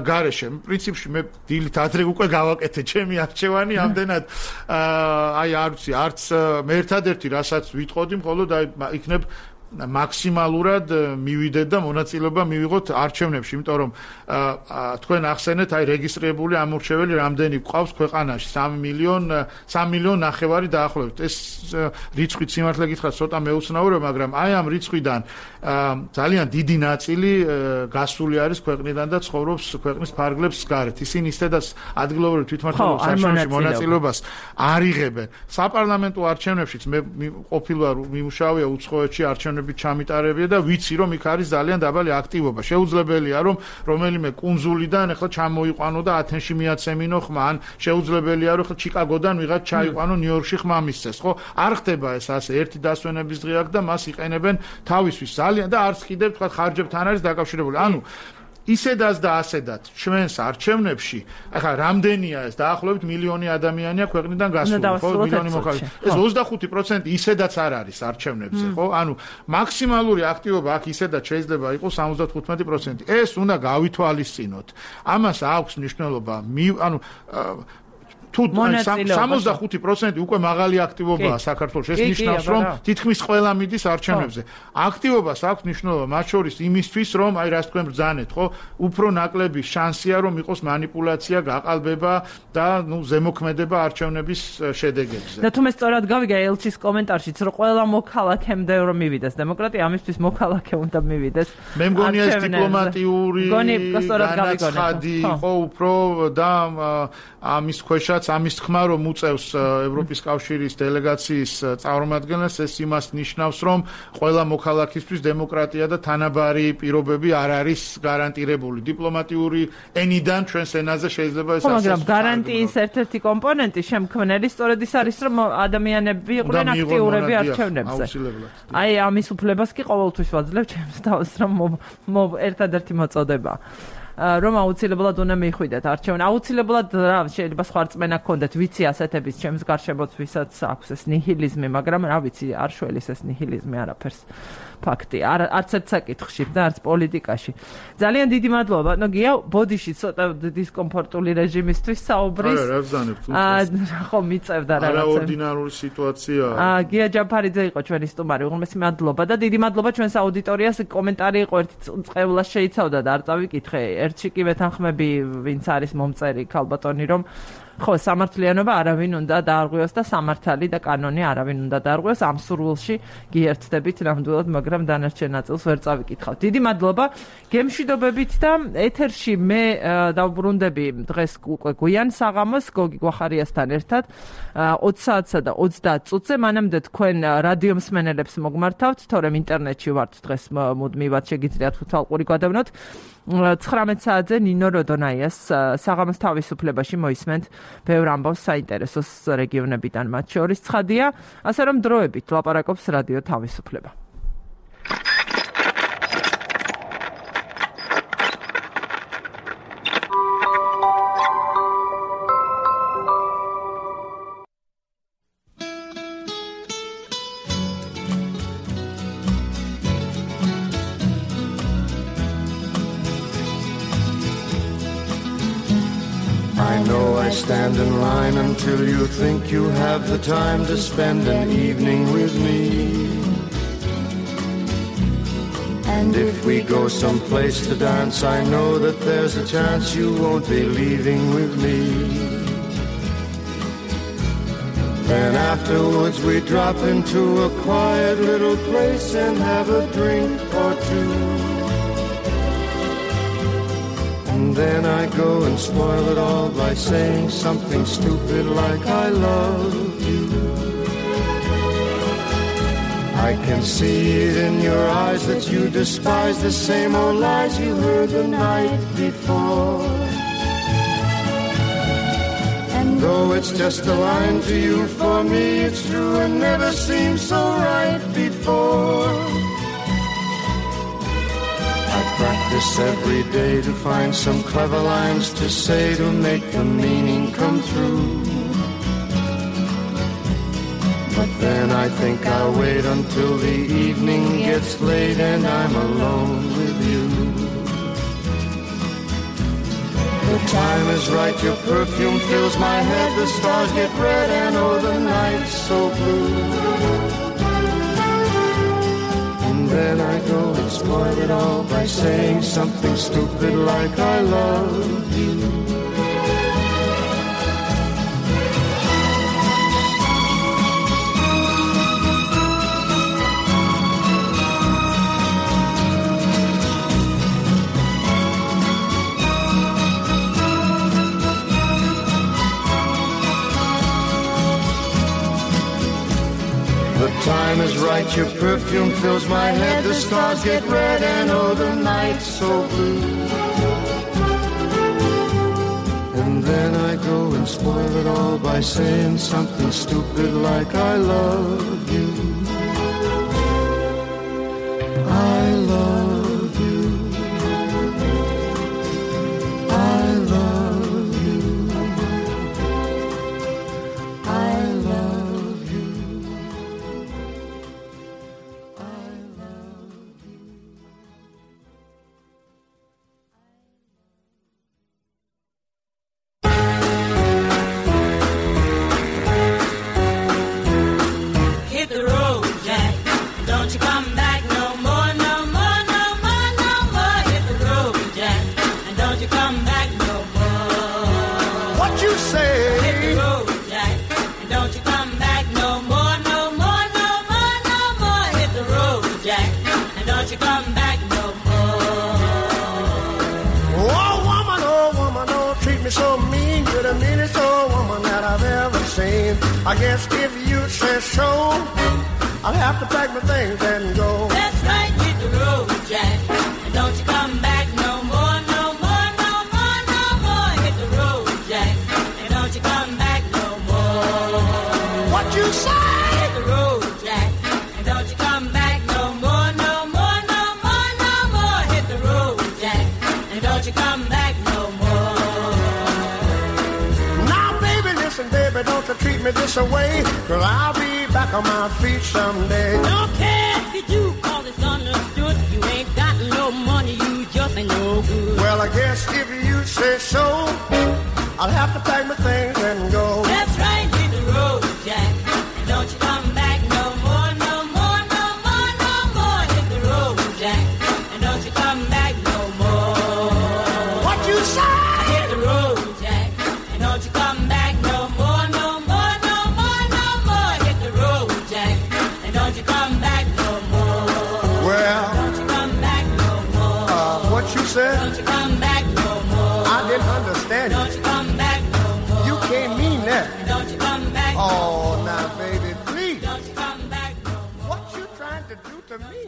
გარეშე. პრინციპში მე დილით ადრე უკვე გავაკეთე ჩემი არჩევანი, ამდენად აი არ ვიცი, არც მე ერთადერთი რასაც ვიტყოდი, მხოლოდ აი იქნებ მაქსიმალურად მივიდეთ და მონაწილეობა მივიღოთ არჩევნებში, იმიტომ რომ თქვენ ახსენეთ, აი რეგისტრირებული ამორჩეველი რამდენი გვყავს ქვეყანაში? 3 მილიონ ნახევარი დაახლოებით. ეს რიცხვი სიმართლე გითხრათ ცოტა მეუცნაურია, მაგრამ აი ამ რიცხვიდან ძალიან დიდი ნაწილი გასული არის ქვეყნიდან და ცხოვრობს ქვეყნის ფარგლებს გარეთ. ისინი ისედაც ადგილობრივ თვითმმართველობის არჩევნებში მონაწილეობას არ იღებენ. საპარლამენტო არჩევნებშიც მე ყოფილვარ მიმუშავია უცხოეთში არჩევნებში ჩამიტარებია და ვიცი რომ იქ არის ძალიან დაბალი აქტივობა. შეუძლებელია რომ რომელიმე კუნძულიდან ახლა ჩამოიყვანო და ათენში მიაცემინო ხმა, ან შეუძლებელია რომ ახლა ჩიკაგოდან ვიღაც ჩაიყვანო ნიუ-იორკში ხმა მისცეს, ხო? არ ხდება ეს ასე ერთი დასვენების დღე აქვს და მას იყენებენ თავისთვის ძალიან და არც კიდევ თქვა ხარჯებთან არის დაკავშირებული. ანუ ისედაც და ასედაც ჩვენს არჩევნებში, ახლა რამდენია ეს დაახლოებით მილიონი ადამიანია ქვეყნიდან გასული, ხო, მილიონი მოხალისე. ეს 25% ისედაც არ არის არჩევნებზე, ხო? ანუ მაქსიმალური აქტივობა აქ ისედაც შეიძლება იყოს 75%. ეს უნდა გავითვალისწინოთ. ამას აქვს მნიშვნელობა, ანუ თუ 65% უკვე მაღალი აქტივობაა საქართველოს. ეს ნიშნავს, რომ თითქმის ყველა მიდის არჩევნებზე. აქტივობას აქვს მნიშვნელობა, მათ შორის იმისთვის, რომ აი რას თქვენ ბრძანეთ, ხო? უფრო ნაკლები შანსია, რომ იყოს манипуляция, გაყალბება და ზემოქმედება არჩევნების შედეგებზე. და თუ მე სწორად გავიგე ელჩის კომენტარშიც, რომ ყველა მოქალაქემდე რომ მივიდეს დემოკრატია, ამისთვის მოქალაქე უნდა მივიდეს. მე მგონია ეს დიპლომატიური განაცხადი იყო უფრო და ამის ქვეშაც როდესაც ამის თქმა რომ უწევს ევროპის კავშირის დელეგაციის წარმომადგენლებს, ეს იმას ნიშნავს, რომ ყველა მოქალაქისთვის დემოკრატია და თანაბარი პირობები არ არის გარანტირებული. დიპლომატიური ენიდან ჩვენს ენაზე შეიძლება ეს ასე. მაგრამ გარანტიის ერთ-ერთი კომპონენტი შემქმნელი სწორედ ის არის, რომ ადამიანები იყვნენ აქტიურები არჩევნებზე. აი ამის უფლებას კი ყოველთვის ვაძლევ ჩემს თავს, რომ ერთადერთი მოწოდება. რომ აუცილებლად უნდა მიხვიდეთ არჩევანი. აუცილებლად რა შეიძლება სხვა რწმენა გქონდეთ, ვიცი ასეთების ჩემს გარშემოც ვისაც აქვს ეს ნიჰილიზმი, მაგრამ რა ვიცი, არ შველის ეს ნიჰილიზმი არაფერს. ფაქტი, არც ერთ საკითხში და არც პოლიტიკაში. ძალიან დიდი მადლობა, ბატონო გია, ბოდიში ცოტა დისკომფორტული რეჟიმისთვის საუბრის. რა ვზანებთ? ხო, მიწევდა რაღაცა. არაორდინარული სიტუაციაა. გია ჯაფარიძე იყო ჩვენი სტუმარი. უღრმესი მადლობა და დიდი მადლობა ჩვენს აუდიტორიას. კომენტარი იყო ერთი წყევლას შეიცავდა და არ წავიკითხე. ერთში კი ვეთანხმები, ვინც არის მომწერი ქალბატონი, რომ ხო, სამართლიანობა არავინ უნდა დაარღვიოს და სამართალი და კანონი არავინ უნდა დაარღვიოს. ამ სურვილში გიერთდებით ნამდვილად, მაგრამ დანარჩენ ნაწილს ვერ წავიკითხავთ. დიდი მადლობა. გემშვიდობებით და ეთერში მე დავბრუნდები დღეს უკვე გვიან საღამოს გოგი გვახარიასთან ერთად 20 საათსა და 30 წუთზე. მანამდე თქვენ რადიო მსმენელებს მოგმართავთ, თორემ ინტერნეტში ვართ დღეს მუდმივად შეგიძლიათ უთალყური გადავნოთ. 19 საათზე ნინო როდონაიას საღამოს თავისუფლებაში მოისმენთ ბევრ ამბავს საინტერესოს რეგიონებიდან, მათ შორის ცხადია, ასე რომ დროებით ლაპარაკობს რადიო თავისუფლება. Stand in line until you think you have the time to spend an evening with me. And if we go someplace to dance, I know that there's a chance you won't be leaving with me. Then afterwards we drop into a quiet little place and have a drink or two. And then I go and spoil it all by saying something stupid like I love you. I can see it in your eyes that you despise the same old lies you heard the night before. And though it's just a line to you, for me it's true and never seemed so right before. Practice every day to find some clever lines to say to make the meaning come through. But then I think I'll wait until the evening gets late and I'm alone with you. The time is right, your perfume fills my head, the stars get red and oh the night's so blue. Then I go and spoil it all by saying something stupid like I love you. The time is right, your perfume fills my head, the stars get red and oh the night's so blue. And then I go and spoil it all by saying something stupid like I love you. I love you. I love you. I love you. So mean, you're the meanest old woman that I guess if you say so, I'll have to pack my things and go. That's right, hit the road, Jack. And don't you come back no more, no more, no more, no more. Hit the road, Jack. And don't you come back no more. What you say? Hit the road, Jack. And don't you come back no more, no more, no more, no more. Hit the road, Jack. And don't you come back no more. Now, baby, listen, baby, don't you treat me this away, 'cause I'll be back on my feet someday. Don't care if you do, 'cause it's understood. You ain't got no money, you just ain't no good. Well, I guess if you say so, I'll have to pack my things and go. That's right, hit the road, Jack. And don't you come back no more, no more, no more, no more. Hit the road, Jack. And don't you come back no more. What you say? Hit the road, Jack. And don't you come back no more, no more, no more, no more. Hit the road, Jack. And don't you come back no more. Well, don't you come back no more. What you said? Don't you come back no more. I didn't understand you. Don't you come back no more. You can't mean that. Don't you come back no Oh, more. now, baby, please. Don't you come back no more. What you trying to do to me?